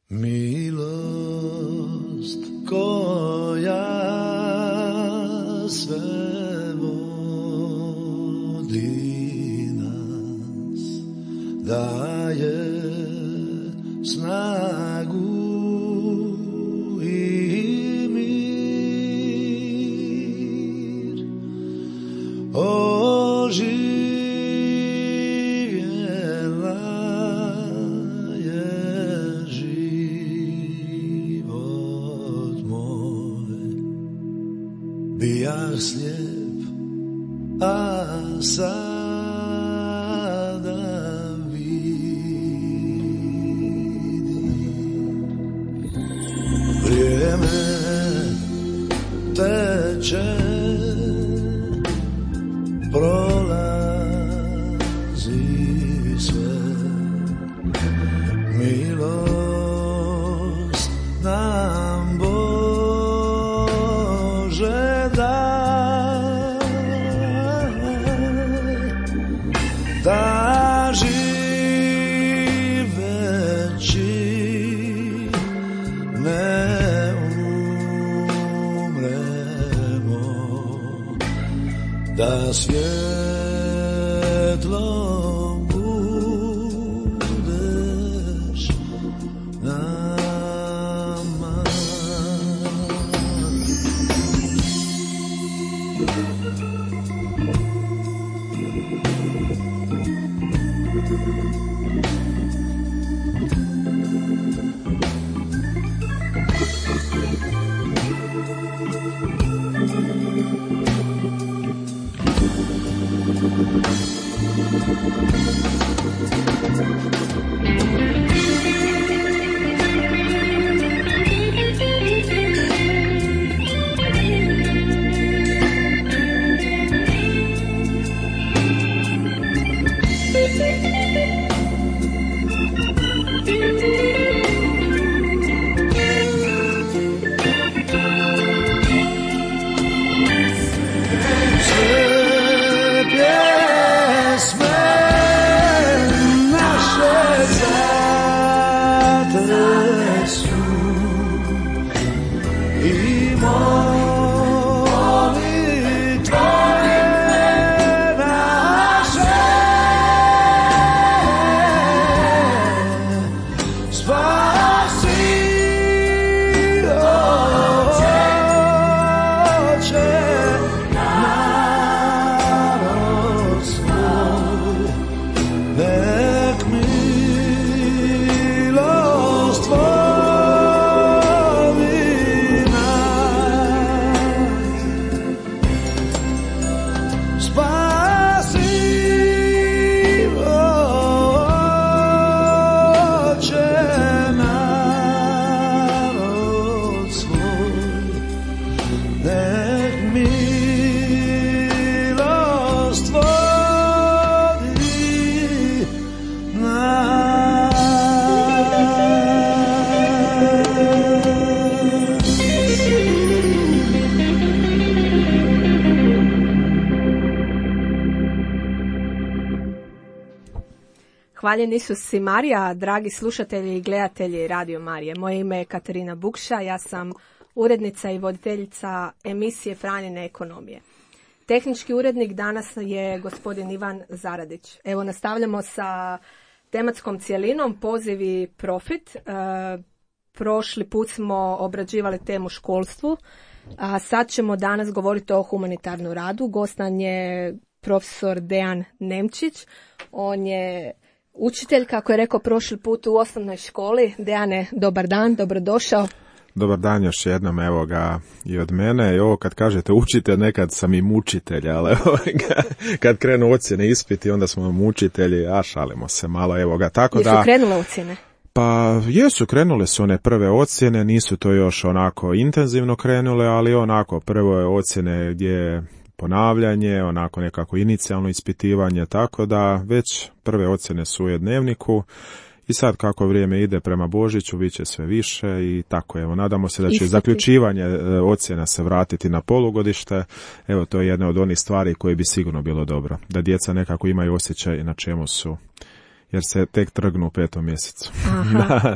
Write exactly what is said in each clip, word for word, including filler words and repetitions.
Milost koja sve vodi nas, daje snagu i mir. Oživjela je život moj. Bijah slijep, a sada vidim. Vrijeme teče, prolazi sve, milost nam Bože daj, da živeći ne umremo, da svjetlom budeš nama. Hvaljen Isus i Marija, dragi slušatelji i gledatelji Radio Marije. Moje ime je Katarina Bukša, ja sam urednica i voditeljica emisije Franjine ekonomije. Tehnički urednik danas je gospodin Ivan Zaradić. Evo, nastavljamo sa tematskom cjelinom Poziv i profit. E, prošli put smo obrađivali temu školstvu, a sad ćemo danas govoriti o humanitarnom radu. Gost nam je profesor Dejan Nemčić. On je učitelj, kako je rekao prošli put, u osnovnoj školi. Dejane, dobar dan, dobrodošao. Dobar dan još jednom, evo ga i od mene. I ovo kad kažete učitelj, nekad sam i mučitelj, ali evo ga, kad krenu ocjene ispiti, onda smo mučitelji, a šalimo se malo, evo ga. Tako Jesu da, krenule ocjene? Pa jesu, krenule su one prve ocjene, nisu to još onako intenzivno krenule, ali onako prvo je ocjene gdje je ponavljanje, onako nekako inicijalno ispitivanje, tako da već prve ocjene su u dnevniku. I sad kako vrijeme ide prema Božiću, bit će sve više i tako, evo, nadamo se da će Ispiti. zaključivanje ocjena se vratiti na polugodište. Evo, to je jedna od onih stvari koje bi sigurno bilo dobro, da djeca nekako imaju osjećaj na čemu su jer se tek trgnu u petom mjesecu. Aha.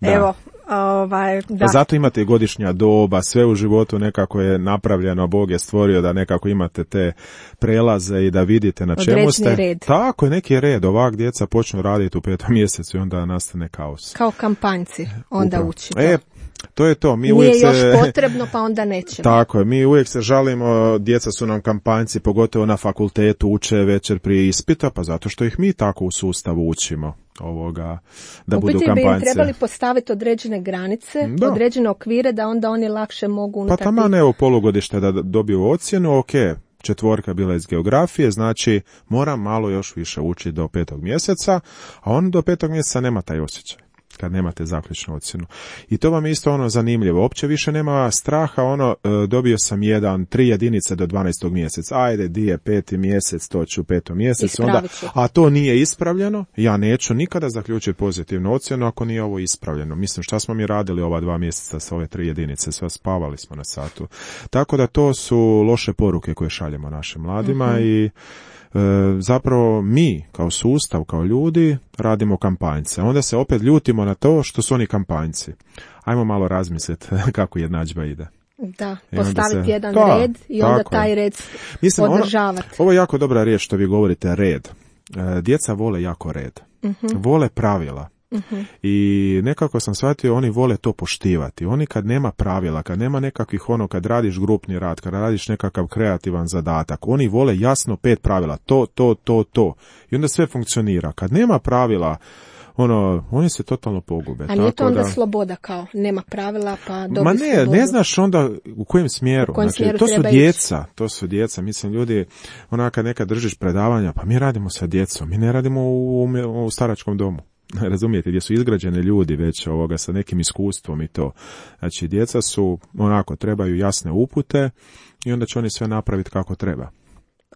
Da. Evo, ovaj, da. Pa zato imate i godišnja doba, sve u životu nekako je napravljeno, Bog je stvorio da nekako imate te prelaze i da vidite na čemu ste. Određeni red. Tako je, neki red, ovak djeca počnu raditi u petom mjesecu i onda nastane kaos. Kao kampanjci, onda Upravo. učite. E, to je to. Mi Nije uvijek još se... potrebno, pa onda nećemo. Tako je, mi uvijek se žalimo, djeca su nam kampanjci, pogotovo na fakultetu uče večer prije ispita, pa zato što ih mi tako u sustavu učimo. Ovoga, da u budu biti kampanjci. bi im trebali postaviti određene granice, Da. određene okvire, da onda oni lakše mogu Pa unutar tamo tih- ne u polugodište da dobiju ocjenu, ok, četvorka bila iz geografije, znači moram malo još više učiti do petog mjeseca, a on do petog mjeseca nema taj osjećaj kad nemate zaključnu ocjenu. I to vam je isto ono zanimljivo. Uopće više nema straha, ono, e, dobio sam jedan, tri jedinice do dvanaestog mjeseca. Ajde, di je peti mjesec, to ću u petom mjesecu. Onda, Ispravit ću. a to nije ispravljeno, ja neću nikada zaključiti pozitivnu ocjenu ako nije ovo ispravljeno. Mislim, šta smo mi radili ova dva mjeseca sa ove tri jedinice? Sve spavali smo na satu. Tako da to su loše poruke koje šaljemo našim mladima Mhm. i E, zapravo mi kao sustav, kao ljudi radimo kampanjce. Onda se opet ljutimo na to što su oni kampanjci. Ajmo malo razmisliti kako jednadžba ide. Da, I onda postaviti se- jedan Da, red i onda tako je. taj red Mislim, ono- održavati. Ovo je jako dobra riječ što vi govorite, red. E, djeca vole jako red. Vole pravila. I nekako sam shvatio, oni vole to poštivati. Oni kad nema pravila, kad nema nekakvih ono, kad radiš grupni rad, kad radiš nekakav kreativan zadatak, oni vole jasno pet pravila. To, to, to, to. I onda sve funkcionira. Kad nema pravila, ono, oni se totalno pogube. A nije to Tako onda da... sloboda kao, nema pravila pa dobi Ma ne, slobodu. ne znaš onda u kojem smjeru. U kojem znači, smjeru to su treba ići. djeca, to su djeca. Mislim, ljudi, onaka nekad držiš predavanja, pa mi radimo sa djecom, mi ne radimo u, u, u staračkom domu. Razumijete, gdje su izgrađeni ljudi već ovoga sa nekim iskustvom i to. Znači, djeca su, onako, trebaju jasne upute i onda će oni sve napraviti kako treba.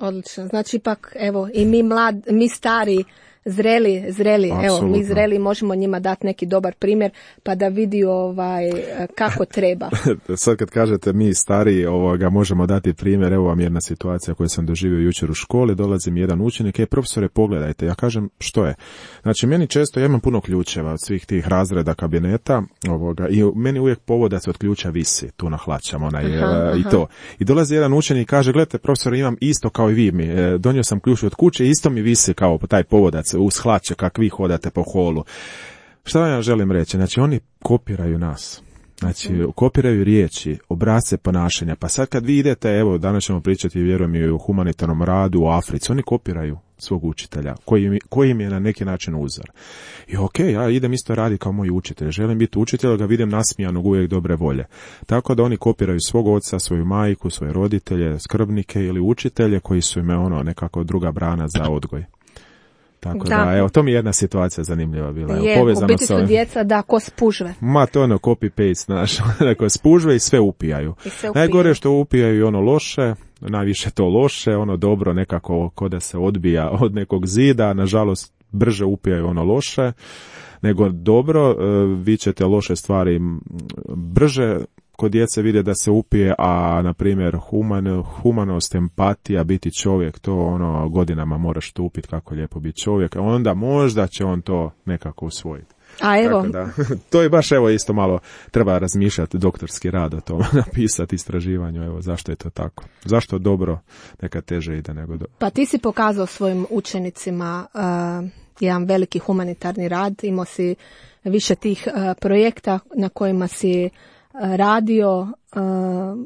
Odlično. Znači ipak, evo, i mi mlad, mi stari, zreli, zreli, evo, mi Apsolutno. zreli možemo njima dati neki dobar primjer, pa da vidi ovaj, kako treba. Sad kad kažete mi stariji ovoga, možemo dati primjer, evo vam jedna situacija koju sam doživio jučer u školi, dolazi mi jedan učenik, ej profesore pogledajte, ja kažem što je. Znači meni često, ja imam puno ključeva od svih tih razreda kabineta ovoga, i meni uvijek povodac od ključa visi tu na hlačama onaj, Aha, e, i aha. to. I dolazi jedan učenik i kaže, gledajte profesore, imam isto kao i vi mi, e, donio sam ključ od kuće, isto mi visi kao taj povodac uz hlače kak vi hodate po holu. Šta vam ja želim reći? Znači, oni kopiraju nas. Znači, kopiraju riječi, obrasce ponašanja. Pa sad kad vi idete, evo, danas ćemo pričati, vjerujem, i o humanitarnom radu u Africi, oni kopiraju svog učitelja, koji, mi- koji im je na neki način uzor. I ok, ja idem isto raditi kao moj učitelj. Želim biti učitelj, ali ga vidim nasmijanog, uvijek dobre volje. Tako da oni kopiraju svog oca, svoju majku, svoje roditelje, skrbnike ili učitelje koji su im ono nekako druga brana za odgoj. Tako da, Da. evo, to mi je jedna situacija zanimljiva bila. Evo, Je, u povezano biti sa su ovim. djeca da ko spužve. Ma to ono copy-paste, znaš, neko spužve i sve upijaju. I sve upijaju. Najgore je što upijaju i ono loše, najviše to loše, ono dobro nekako ko da se odbija od nekog zida, nažalost brže upijaju ono loše, nego dobro, e, vi ćete loše stvari m, brže kod djece vide da se upije, a na primjer human, humanost, empatija, biti čovjek, to ono godinama moraš tupiti kako je lijepo biti čovjek, a onda možda će on to nekako usvojiti. A evo, Tako da, to je baš evo isto malo treba razmišljati, doktorski rad o tome, napisati istraživanju, evo zašto je to tako. Zašto dobro nekad teže ide nego dobro. pa ti si pokazao svojim učenicima uh, jedan veliki humanitarni rad, imao si više tih uh, projekta na kojima si uh, radio, uh,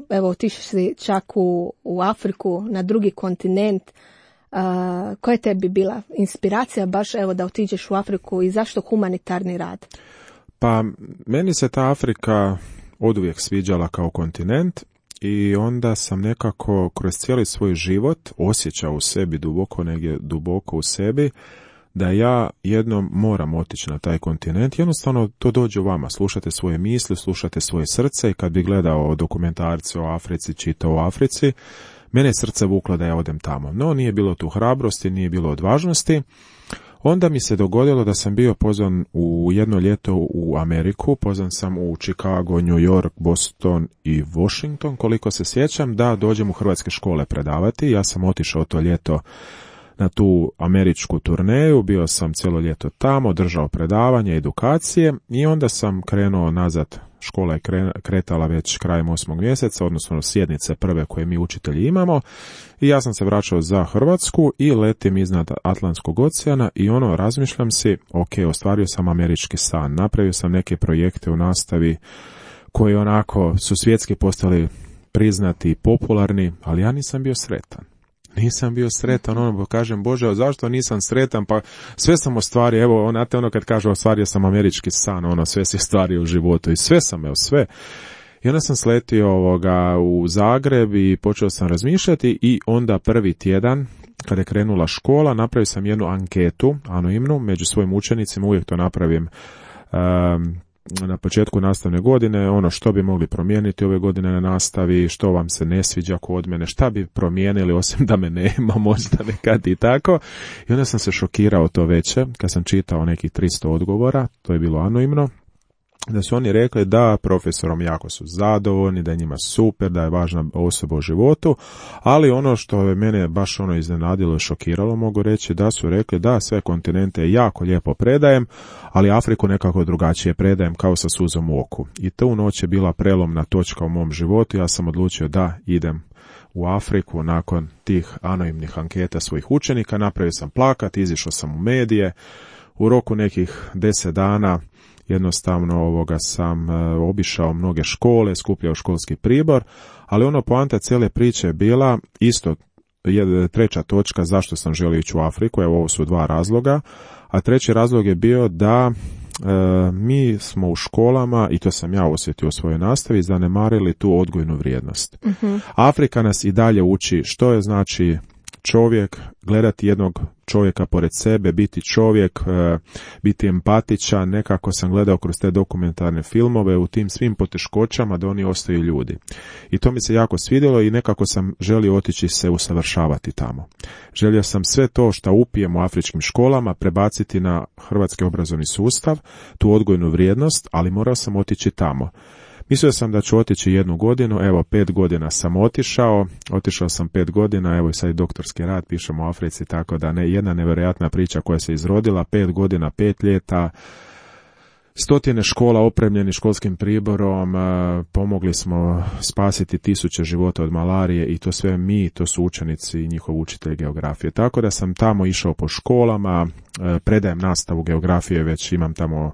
evo otišao si čak u, u Afriku, na drugi kontinent. Uh, koja je tebi bila inspiracija baš evo da otiđeš u Afriku i zašto humanitarni rad? Pa meni se ta Afrika oduvijek sviđala kao kontinent i onda sam nekako kroz cijeli svoj život osjećao u sebi duboko, negdje duboko u sebi, da ja jednom moram otići na taj kontinent. Jednostavno to dođe u vama, slušate svoje misli, slušate svoje srce i kad bi gledao dokumentarce o Africi, čitao o Africi, mene je srce vuklo da ja odem tamo. No, nije bilo tu hrabrosti, nije bilo odvažnosti. Onda mi se dogodilo da sam bio pozvan u jedno ljeto u Ameriku, pozvan sam u Chicago, New York, Boston i Washington, koliko se sjećam, da dođem u hrvatske škole predavati. Ja sam otišao to ljeto na tu američku turneju, bio sam cijelo ljeto tamo, držao predavanje, edukacije i onda sam krenuo nazad. Škola je kretala već krajem osmog mjeseca, odnosno sjednice prve koje mi učitelji imamo, i ja sam se vraćao za Hrvatsku i letim iznad Atlantskog oceana i ono, razmišljam si, ok, ostvario sam američki san, napravio sam neke projekte u nastavi koji onako su svjetski postali priznati i popularni, ali ja nisam bio sretan. Nisam bio sretan, ono, kažem, Bože, zašto nisam sretan, pa sve sam ostvario, evo, znate ono kad kažu ostvario sam američki san, ono, sve si ostvario u životu i sve sam, evo, sve. I onda sam sletio ovoga u Zagreb i počeo sam razmišljati i onda prvi tjedan, kada je krenula škola, napravio sam jednu anketu, anonimnu, među svojim učenicima, uvijek to napravim um, na početku nastavne godine, ono što bi mogli promijeniti ove godine na nastavi, što vam se ne sviđa kod mene, šta bi promijenili osim da me nema, možda nekad i tako. I onda sam se šokirao to veće, kad sam čitao nekih tristo odgovora, to je bilo anonimno, da su oni rekli da profesorom jako su zadovoljni, da je njima super, da je važna osoba u životu, ali ono što je mene baš ono iznenadilo i šokiralo, mogu reći, da su rekli da sve kontinente jako lijepo predajem, ali Afriku nekako drugačije predajem, kao sa suzom u oku. I tu noć je bila prelomna točka u mom životu, ja sam odlučio da idem u Afriku nakon tih anonimnih anketa svojih učenika, napravio sam plakat, izišao sam u medije, u roku nekih deset dana jednostavno ovoga sam e, obišao mnoge škole, skupljao školski pribor, ali ono poanta cijele priče je bila isto je treća točka zašto sam želio ići u Afriku, evo ovo su dva razloga, a treći razlog je bio da e, mi smo u školama, i to sam ja osjetio u svojoj nastavi, zanemarili tu odgojnu vrijednost. Uh-huh. Afrika nas i dalje uči što je znači čovjek, gledati jednog čovjeka pored sebe, biti čovjek, e, biti empatičan, nekako sam gledao kroz te dokumentarne filmove u tim svim poteškoćama da oni ostaju ljudi. I to mi se jako svidjelo i nekako sam želio otići se usavršavati tamo. Želio sam sve to što upijem u afričkim školama prebaciti na hrvatski obrazovni sustav, tu odgojnu vrijednost, ali morao sam otići tamo. Mislio sam da ću otići jednu godinu, evo pet godina sam otišao, otišao sam pet godina, evo i sad i doktorski rad pišem u Africi, tako da ne, jedna nevjerojatna priča koja se izrodila, pet godina, pet ljeta, stotine škola opremljeni školskim priborom, pomogli smo spasiti tisuće života od malarije i to sve mi, to su učenici i njihov učitelj geografije. Tako da sam tamo išao po školama, predajem nastavu geografije, već imam tamo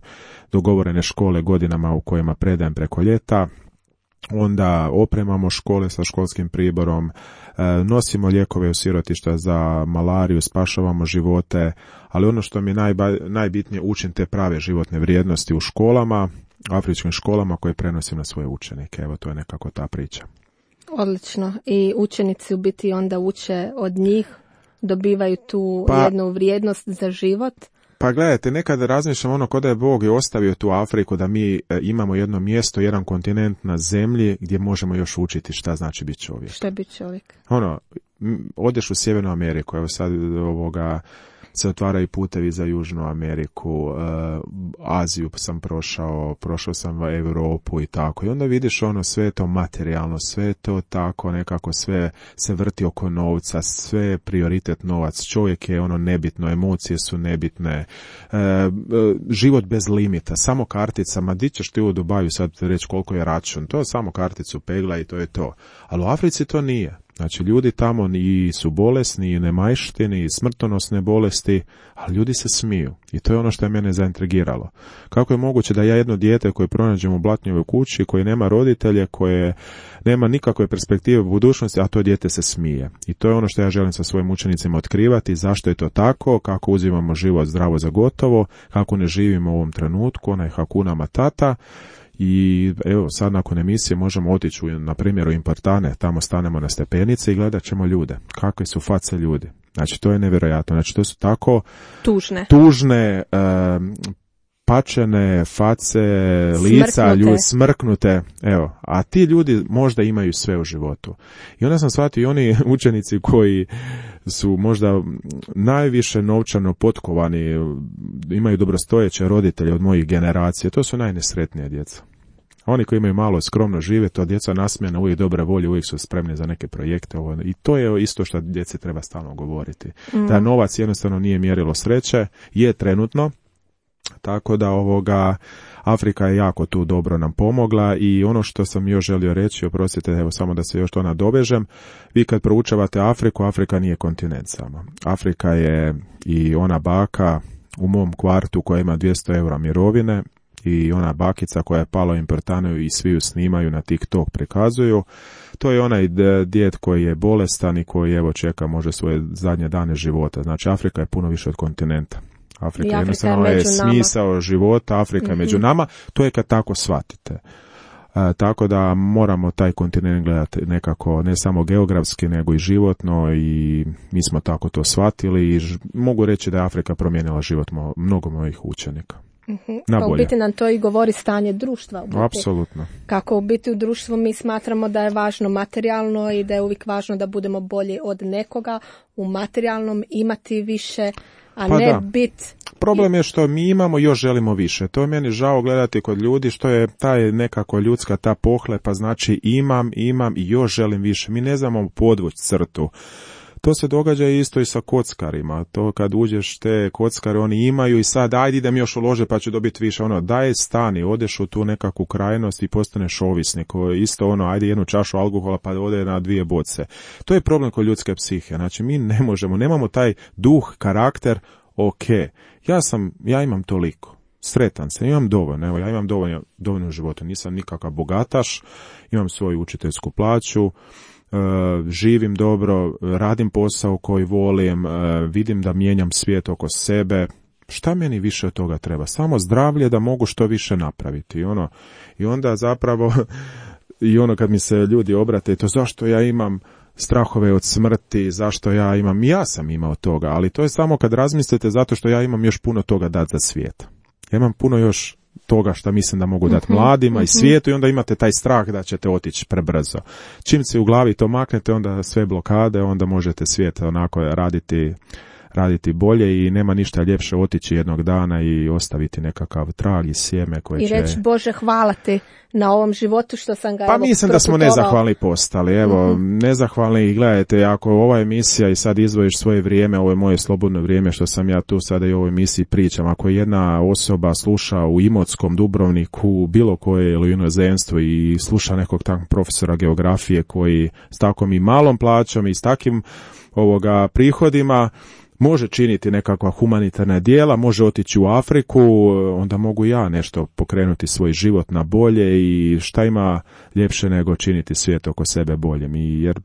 dogovorene škole godinama u kojima predajem preko ljeta. Onda opremamo škole sa školskim priborom, nosimo lijekove u sirotišta za malariju, spašavamo živote, ali ono što mi je najba, najbitnije, učim te prave životne vrijednosti u školama, afričkim školama koje prenosim na svoje učenike. Evo, to je nekako ta priča. Odlično. I učenici u biti onda uče od njih, dobivaju tu pa, jednu vrijednost za život. Pa gledajte, nekada razmišljam ono kod da je Bog je ostavio tu Afriku da mi e, imamo jedno mjesto, jedan kontinent na zemlji gdje možemo još učiti šta znači biti čovjek. Šta je biti čovjek? Ono, m, odeš u Sjevernu Ameriku, evo sad ovoga se otvaraju putevi za Južnu Ameriku, e, Aziju sam prošao, prošao sam u Europu i tako. I onda vidiš ono sve to materijalno, sve to tako nekako sve se vrti oko novca, sve je prioritet novac, čovjek je ono nebitno, emocije su nebitne, e, e, život bez limita, samo kartica, ma di ćeš ti u Dubaju sad reći koliko je račun, to je samo karticu pegla i to je to. Ali u Africi to nije. Znači, ljudi tamo ni su bolesni, i nemajštini, i smrtonosne bolesti, ali ljudi se smiju. I to je ono što je mene zaintrigiralo. Kako je moguće da ja jedno dijete koje pronađem u Blatnjevoj kući, koje nema roditelje, koje nema nikakve perspektive u budućnosti, a to dijete se smije. I to je ono što ja želim sa svojim učenicima otkrivati, zašto je to tako, kako uzimamo život zdravo za gotovo, kako ne živimo u ovom trenutku, onaj Hakuna Matata. I evo sad nakon emisije možemo otići na primjer u Importane, tamo stanemo na stepenice i gledat ćemo ljude, kakve su face ljudi. Znači to je nevjerojatno, znači to su tako tužne, tužne um, pačene face, lica, ljudi smrknute, evo, a ti ljudi možda imaju sve u životu. I onda sam shvatio i oni učenici koji su možda najviše novčano potkovani, imaju dobrostojeće roditelje od mojih generacije, to su najnesretnije djeca. Oni koji imaju malo skromno žive, to djeca nasmijena, uvijek dobre volje, uvijek su spremni za neke projekte. Ovo. I to je isto što djeci treba stalno govoriti. Mm. Da novac jednostavno nije mjerilo sreće, je trenutno, tako da ovoga Afrika je jako tu dobro nam pomogla i ono što sam još želio reći, oprostite, evo samo da se još to nadovežem, vi kad proučavate Afriku, Afrika nije kontinent samo. Afrika je i ona baka u mom kvartu koja ima dvjesto eura mirovine i ona bakica koja je pala u Importanu i svi ju snimaju, na TikTok prikazuju. To je onaj djed koji je bolestan i koji evo čeka može svoje zadnje dane života. Znači Afrika je puno više od kontinenta. Afrika, Afrika jednostavno je, je nama. smisao života, Afrika mm-hmm. je među nama, to je kad tako shvatite. E, tako da moramo taj kontinent gledati nekako, ne samo geografski, nego i životno i mi smo tako to shvatili i ž, mogu reći da je Afrika promijenila život mo, mnogo mojih učenika. Mm-hmm. Pa u biti nam to i govori stanje društva. U biti. Apsolutno. Kako u biti u društvu mi smatramo da je važno materijalno i da je uvijek važno da budemo bolji od nekoga u materijalnom, imati više, a pa ne da. biti... Problem je što mi imamo, još želimo više. To je meni žao gledati kod ljudi, što je taj nekako ljudska ta pohlepa, znači imam, imam i još želim više. Mi ne znamo podvući crtu. To se događa isto i sa kockarima. To kad uđeš te kockare, oni imaju i sad ajde idem još ulože pa ću dobiti više. Ono, daj stani, odeš u tu nekakvu krajnost i postaneš ovisnik. Isto ono, ajde jednu čašu alkohola pa ode na dvije boce. To je problem kod ljudske psihe. Znači mi ne možemo, nemamo taj duh, karakter, ok, ja sam, ja imam toliko. Sretan sam, imam dovoljno, evo ja imam dovoljno, dovoljno u životu, nisam nikakav bogataš, imam svoju učiteljsku plaću, Uh, živim dobro, radim posao koji volim, uh, vidim da mijenjam svijet oko sebe. Šta meni više od toga treba? Samo zdravlje da mogu što više napraviti. I, ono, i onda zapravo, i ono kad mi se ljudi obrate, to zašto ja imam strahove od smrti, zašto ja imam, ja sam imao toga, ali to je samo kad razmislite zato što ja imam još puno toga dati za svijet. Ja imam puno još toga što mislim da mogu dati mladima i svijetu i onda imate taj strah da ćete otići prebrzo. Čim se u glavi to maknete, onda sve blokade, onda možete svijet onako raditi, raditi bolje i nema ništa ljepše otići jednog dana i ostaviti nekakav trag i sjeme koje I će... I reći, Bože, hvala ti na ovom životu što sam ga... Pa evo, mislim da smo proputovao. nezahvalni postali, evo, mm-hmm. nezahvalni i gledajte, ako ova emisija i sad izdvojiš svoje vrijeme, ovo je moje slobodno vrijeme što sam ja tu sada i u ovoj emisiji pričam, ako jedna osoba sluša u Imotskom, Dubrovniku, bilo koje ili inozemstvu i sluša nekog takvog profesora geografije koji s takvom i malom plaćom i s takim ovoga prihodima može činiti nekakva humanitarna djela, može otići u Afriku, onda mogu ja nešto pokrenuti svoj život na bolje i šta ima ljepše nego činiti svijet oko sebe boljem. I jer,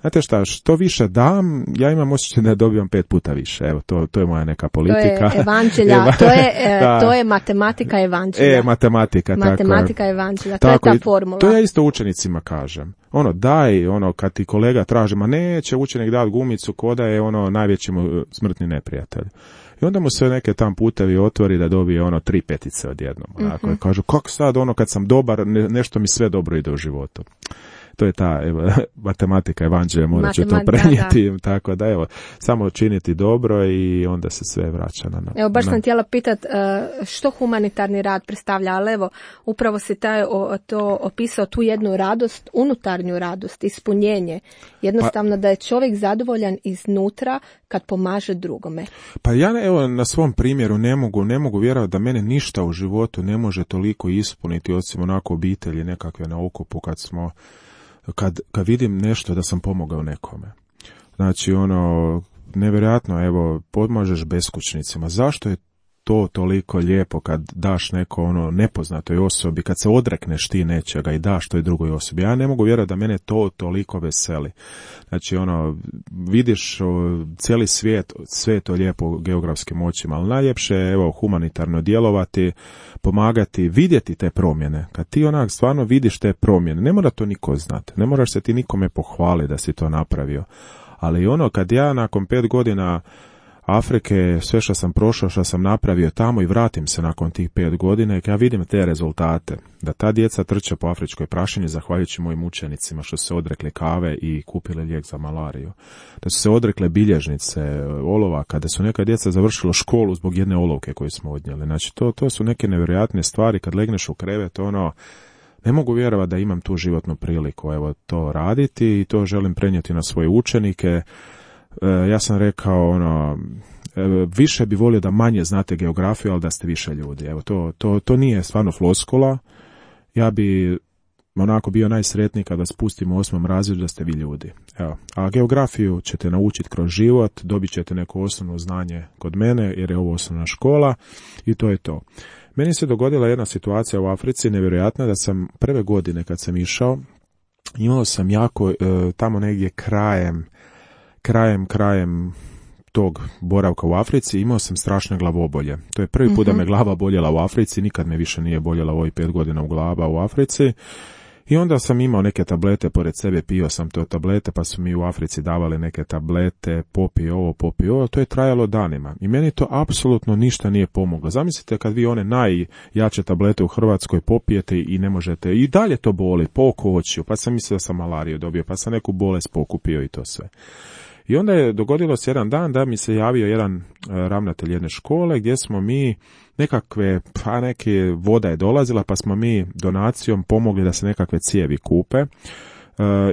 znate šta, što više dam, ja imam osjećaj da dobijam pet puta više. Evo, to, to je moja neka politika. To je evanđelja, to je, e, to je matematika evanđelja. E, matematika, matematika tako. evanđelja, tako, to je ta formula. To ja isto učenicima kažem. Ono, daj, ono, kad ti kolega traži, ma neće učenik dati gumicu, koda je ono najveći mu smrtni neprijatelj. I onda mu se neke tam putevi otvori da dobije ono tri petice odjednom. Onako, mm-hmm. kažu, kako sad ono kad sam dobar, ne, nešto mi sve dobro ide u životu. To je ta evo, matematika evanđelja, morat ću to prenijeti, da, da. Tako da evo, samo činiti dobro i onda se sve vraća na... Evo, baš na... sam htjela pitat što humanitarni rad predstavlja, ali evo, upravo si taj, o, to opisao, tu jednu radost, unutarnju radost, ispunjenje. Jednostavno pa, da je čovjek zadovoljan iznutra kad pomaže drugome. Pa ja evo na svom primjeru ne mogu, ne mogu vjerovati da mene ništa u životu ne može toliko ispuniti, osim onako obitelji nekakve na okupu kad smo... Kad, kad vidim nešto da sam pomogao nekome. Znači, ono, nevjerojatno, evo, pomažeš beskućnicima. Zašto je to toliko lijepo kad daš neko, ono, nepoznatoj osobi, kad se odrekneš ti nečega i daš toj drugoj osobi? Ja ne mogu vjerovati da mene to toliko veseli. Znači, ono, vidiš o, cijeli svijet, sve je to lijepo geografskim očima, ali najljepše je, evo, humanitarno djelovati, pomagati, vidjeti te promjene. Kad ti onak stvarno vidiš te promjene, ne mora to niko znati, ne moraš se ti nikome pohvaliti da si to napravio. Ali ono, kad ja nakon pet godina Afrike, sve što sam prošao, što sam napravio tamo i vratim se nakon tih pet godina i ja vidim te rezultate, da ta djeca trče po afričkoj prašini zahvaljujući mojim učenicima što su se odrekli kave i kupili lijek za malariju, da su se odrekle bilježnice, olovaka, da su neka djeca završila školu zbog jedne olovke koju smo odnijeli. Znači to, to su neke nevjerojatne stvari, kad legneš u krevet, ono, ne mogu vjerovati da imam tu životnu priliku evo to raditi i to želim prenijeti na svoje učenike. E, ja sam rekao ono, e, više bi volio da manje znate geografiju, ali da ste više ljudi. Evo to, to, to nije stvarno floskula. Ja bi onako bio najsretniji kada spustimo u osmom razredu da ste vi ljudi. Evo. A geografiju ćete naučiti kroz život, dobit ćete neko osnovno znanje kod mene, jer je ovo osnovna škola i to je to. Meni se dogodila jedna situacija u Africi, nevjerojatna, da sam prve godine kad sam išao, imao sam jako e, tamo negdje krajem, krajem, krajem tog boravka u Africi, imao sam strašne glavobolje. To je prvi put mm-hmm. da me glava boljela u Africi, nikad me više nije boljela u ovih pet godina u glava u Africi. I onda sam imao neke tablete pored sebe, pio sam to tablete, pa su mi u Africi davali neke tablete, popi ovo, popi ovo, to je trajalo danima. I meni to apsolutno ništa nije pomoglo. Zamislite kad vi one najjače tablete u Hrvatskoj popijete i ne možete, i dalje to boli, po oko očiju, pa sam mislio da sam malariju dobio, pa sam neku bolest pokupio i to sve. I onda je dogodilo se jedan dan da mi se javio jedan ravnatelj jedne škole gdje smo mi nekakve, pa neke voda je dolazila, pa smo mi donacijom pomogli da se nekakve cijevi kupe e,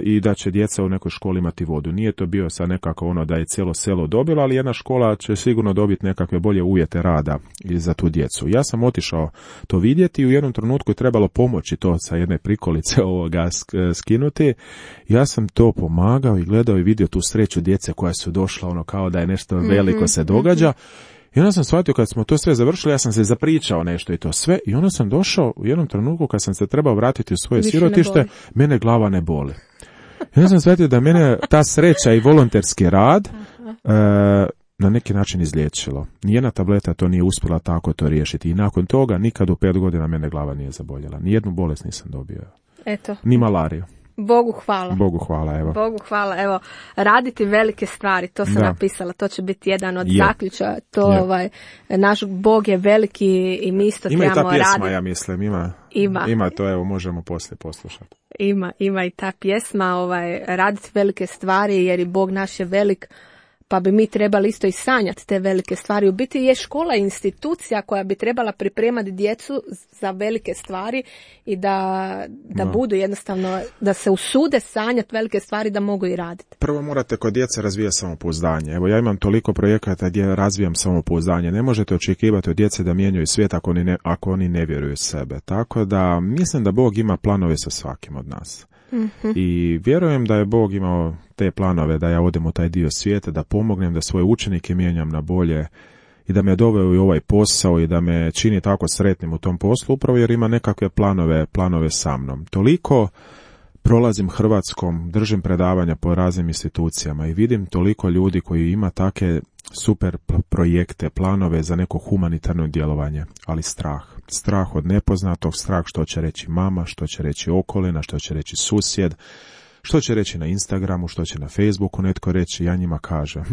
i da će djeca u nekoj školi imati vodu. Nije to bio sad nekako ono da je cijelo selo dobilo, ali jedna škola će sigurno dobiti nekakve bolje uvjete rada za tu djecu. Ja sam otišao to vidjeti i u jednom trenutku je trebalo pomoći to sa jedne prikolice ovoga skinuti. Ja sam to pomagao i gledao i vidio tu sreću djece koja su došla, ono kao da je nešto veliko se događa. I onda sam shvatio kad smo to sve završili, ja sam se zapričao nešto i to sve i onda sam došao u jednom trenutku kad sam se trebao vratiti u svoje više sirotište, mene glava ne boli. I onda sam shvatio da mene ta sreća i volonterski rad e, na neki način izliječilo. Nijedna tableta to nije uspjela tako to riješiti i nakon toga nikad u pet godina mene glava nije zaboljela. Nijednu bolest nisam dobio. Eto. Ni malariju. Bogu hvala. Bogu hvala, evo. Bogu hvala, evo. Raditi velike stvari, to sam da. napisala, to će biti jedan od je. zaključa. To, je. ovaj, naš Bog je veliki i mi isto ima trebamo raditi. Ima i ta pjesma, raditi. ja mislim, ima. Ima. Ima to, evo, možemo poslije poslušati. Ima, ima i ta pjesma, ovaj, raditi velike stvari, jer i Bog naš je velik, pa bi mi trebali isto i sanjati te velike stvari. U biti je škola institucija koja bi trebala pripremati djecu za velike stvari i da, da no. budu jednostavno, da se usude sanjati velike stvari da mogu i raditi. Prvo morate kod djece razvijati samopouzdanje. Evo ja imam toliko projekata gdje razvijam samopouzdanje. Ne možete očekivati od djece da mijenjaju svijet ako oni ne, ako oni ne vjeruju sebe. Tako da mislim da Bog ima planove sa svakim od nas. Mm-hmm. I vjerujem da je Bog imao te planove da ja odem u taj dio svijeta, da pomognem, da svoje učenike mijenjam na bolje i da me doveo i ovaj posao i da me čini tako sretnim u tom poslu, upravo jer ima nekakve planove, planove sa mnom. Toliko prolazim Hrvatskom, držim predavanja po raznim institucijama i vidim toliko ljudi koji ima take super projekte, planove za neko humanitarno djelovanje, ali strah. Strah od nepoznatog, strah što će reći mama, što će reći okolina, što će reći susjed, što će reći na Instagramu, što će na Facebooku netko reći, ja njima kažem.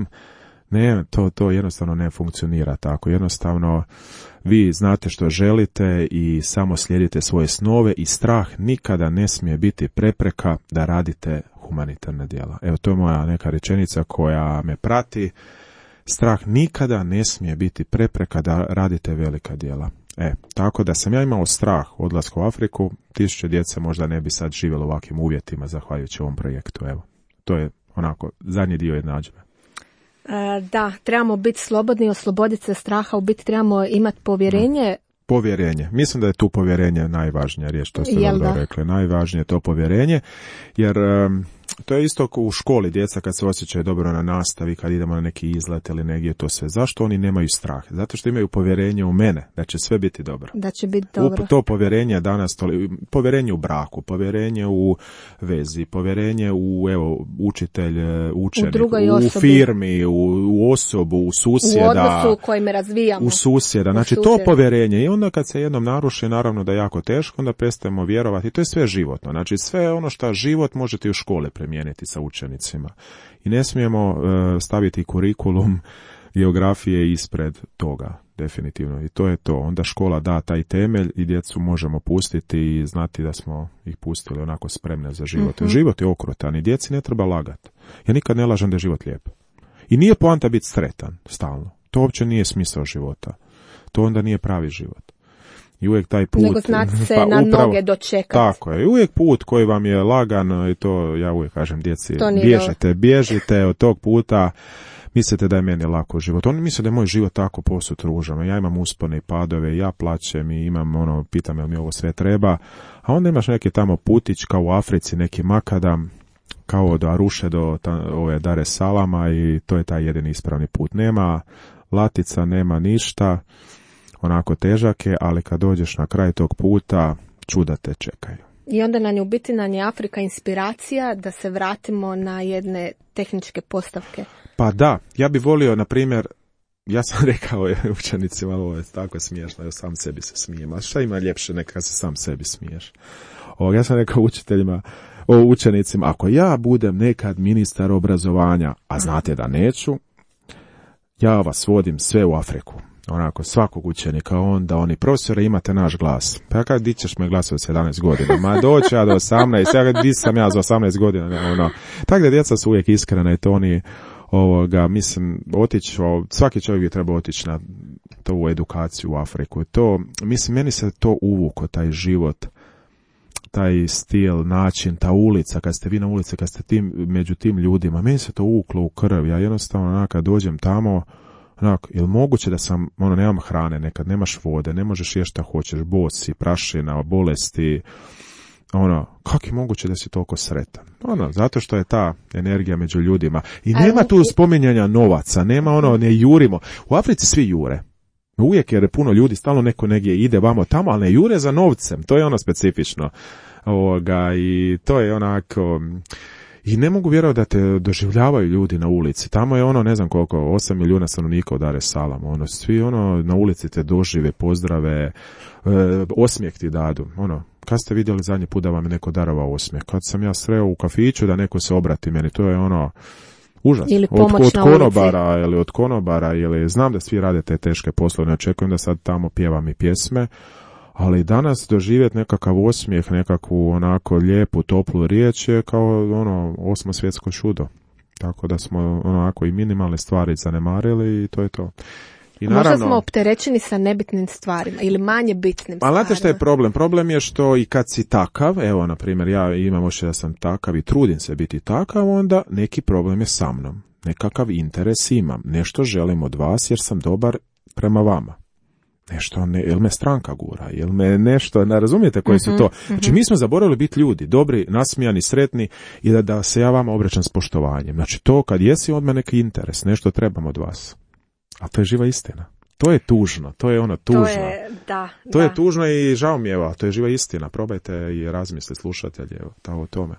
Ne, to, to jednostavno ne funkcionira tako. Jednostavno, vi znate što želite i samo slijedite svoje snove i strah nikada ne smije biti prepreka da radite humanitarna djela. Evo, to je moja neka rečenica koja me prati. Strah nikada ne smije biti prepreka da radite velika djela. E, tako da sam ja imao strah odlaska u Afriku, tisuće djece možda ne bi sad živjelo u ovakvim uvjetima zahvaljujući ovom projektu. Evo, to je onako zadnji dio jednadžbe. E, da, trebamo biti slobodni, osloboditi se straha, u biti trebamo imati povjerenje. Povjerenje. Mislim da je tu povjerenje najvažnija riječ, to ste dobro rekli. Najvažnije je to povjerenje, jer um, to je isto u školi djeca kad se osjećaju dobro na nastavi, kad idemo na neki izlet ili negdje to sve. Zašto oni nemaju strah? Zato što imaju povjerenje u mene, da će sve biti dobro. Da će biti dobro. U, to povjerenje danas, to, povjerenje u braku, povjerenje u vezi, povjerenje u evo, učitelj, učenik, u, u firmi, u, u osobu, u susjeda. U odnosu kojim razvijamo. U susjeda. Znači u to povjerenje. I onda kad se jednom naruši, naravno da je jako teško, onda prestajemo vjerovati. To je sve životno. Znači sve ono što život možete u škole primijeniti sa učenicima. I ne smijemo uh, staviti kurikulum geografije ispred toga, definitivno. I to je to. Onda škola da taj temelj i djecu možemo pustiti i znati da smo ih pustili onako spremne za život. Mm-hmm. Život je okrutan i djeci ne treba lagati. Ja nikad ne lažem da je život lijep. I nije poanta biti sretan stalno. To uopće nije smisao života. To onda nije pravi život. I uvijek taj put... Nego znate se pa, na upravo, noge dočekati. Tako je. I uvijek put koji vam je lagan, i to ja uvijek kažem djeci, To bježite, bježite od tog puta, mislite da je meni lako život. Oni misle da je moj život tako posut ružan. Ja imam uspone i padove, ja plaćem i imam ono, pitam jel mi ovo sve treba. A onda imaš neki tamo putić kao u Africi, neki makadam, kao od Aruše do ta, ove Dar es Salama i to je taj jedini ispravni put. Nema latica, nema ništa, onako težake, ali kad dođeš na kraj tog puta, čuda te čekaju. I onda nam je u biti nam je Afrika inspiracija da se vratimo na jedne tehničke postavke. Pa da, ja bi volio, na primjer, ja sam rekao učenicima, ovo je tako smiješno, ja sam sebi se smijem, a šta ima ljepše neka se sam sebi smiješ? O, ja sam rekao učiteljima, o učenicima, ako ja budem nekad ministar obrazovanja, a znate da neću, ja vas vodim sve u Afriku. Onako, svakog učenika, onda oni, profesore, imate naš glas. Pa ja kada, di ćeš me glas od sedamnaest godina? Ma doći ja do osamnaest, ja di sam ja za osamnaest godina, ne, ono. Tako da djeca su uvijek iskrena i to oni, ovoga, mislim, otići, svaki čovjek bi trebao otići na tu edukaciju u Afriku. To, mislim, meni se to uvuko, taj život, taj stil, način, ta ulica, kad ste vi na ulici, kad ste tim, među tim ljudima, meni se to uvuklo u krv. Ja jednostavno, onak, kad dođem tamo, onak, je li moguće da sam, ono, nemam hrane, nekad nemaš vode, ne možeš jesti šta hoćeš, bosi, prašina, bolesti, ono, kako je moguće da si toliko sretan? Ono, zato što je ta energija među ljudima. I nema tu spominjanja novaca, nema ono, ne jurimo. U Africi svi jure. Uvijek jer puno ljudi, stalno neko negdje ide vamo tamo, ali ne jure za novcem. To je ono specifično. Ovoga, i to je onako... I ne mogu vjerovati da te doživljavaju ljudi na ulici. Tamo je ono, ne znam koliko, osam milijuna stanovnika od Dar es Salama. Ono, svi ono na ulici te dožive, pozdrave, e, osmijeh ti dadu. Ono, kad ste vidjeli zadnji put da vam je neko darovao osmijeh? Kad sam ja sreo u kafiću da neko se obrati meni, to je ono užas. Ili od, pomoć od na konobara ulici. Ili od konobara, ili znam da svi rade te teške poslove, ne očekujem da sad tamo pjevam i pjesme. Ali danas doživjeti nekakav osmijeh, nekakvu onako lijepu, toplu riječ je kao ono osmo svjetsko čudo. Tako da smo onako i minimalne stvari zanemarili i to je to. I naravno, možda smo opterećeni sa nebitnim stvarima ili manje bitnim stvarima. Ali znate što je problem? Problem je što i kad si takav, evo na primjer ja imam ošće da sam takav i trudim se biti takav, onda neki problem je sa mnom. Nekakav interes imam. Nešto želim od vas jer sam dobar prema vama. Nešto, ne, jel me stranka gura, jel me nešto, ne razumijete koji su to. Znači mi smo zaboravili biti ljudi, dobri, nasmijani, sretni i da, da se ja vama obraćam s poštovanjem. Znači to kad jesi od mene neki interes, nešto trebam od vas. A to je živa istina. To je tužno, to je ono tužno. To je, da, to da. je tužno i žao mi je, evo, to je živa istina. Probajte i razmislite slušatelji, evo, ta o tome.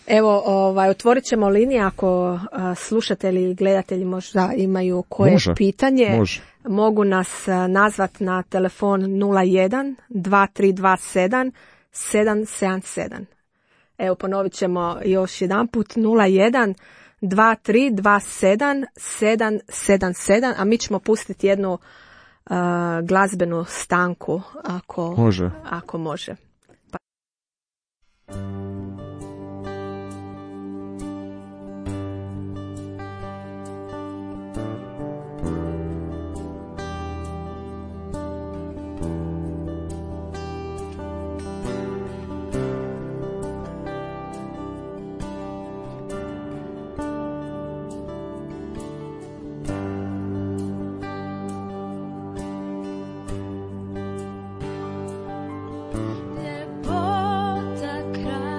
Evo, ovaj, otvorit ćemo linije ako a, slušatelji i gledatelji možda imaju koje može, pitanje. Može. Mogu nas a, nazvat na telefon nula jedan dva tri dva sedam sedam sedam sedam. Evo, ponovit ćemo još jedan put nula jedan dva tri dva sedam sedam sedam sedam, a mi ćemo pustiti jednu a, glazbenu stanku ako može. Ako može. Pa... Ljepota kraja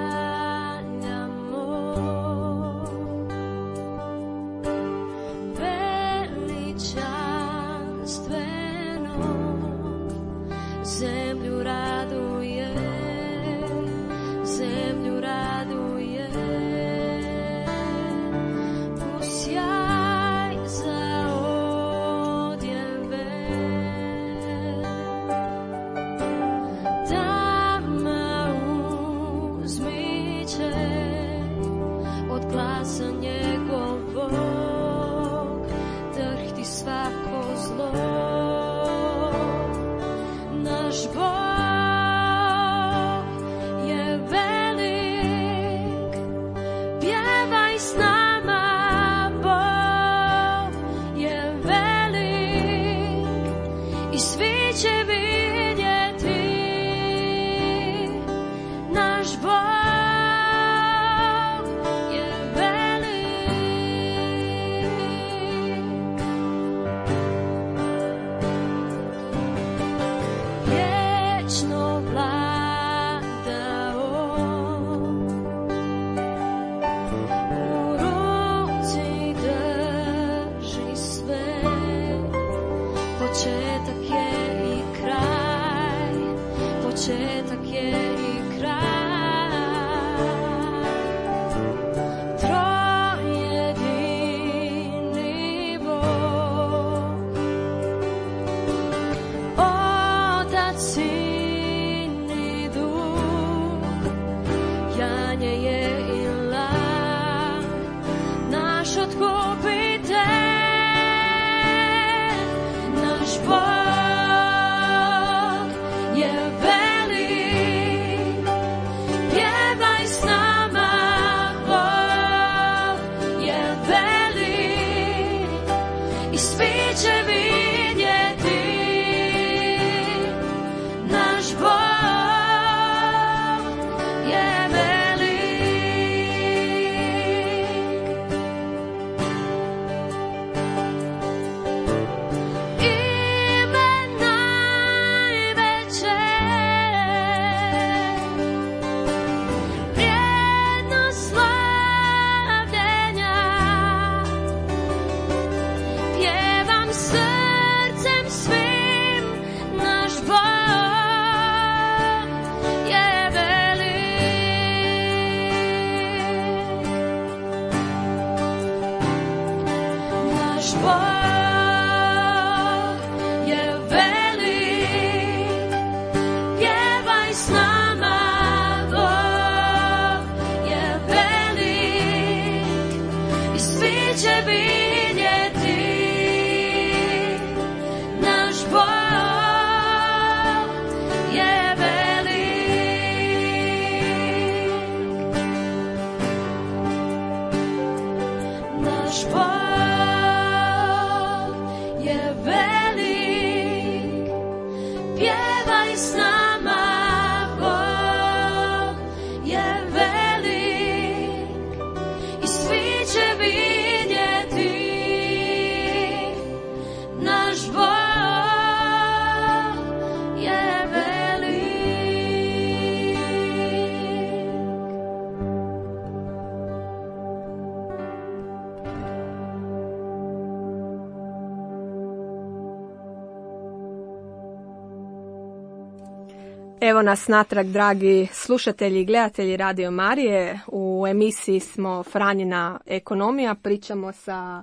Evo nas natrag, dragi slušatelji i gledatelji Radio Marije. U emisiji smo Franjina ekonomija. Pričamo sa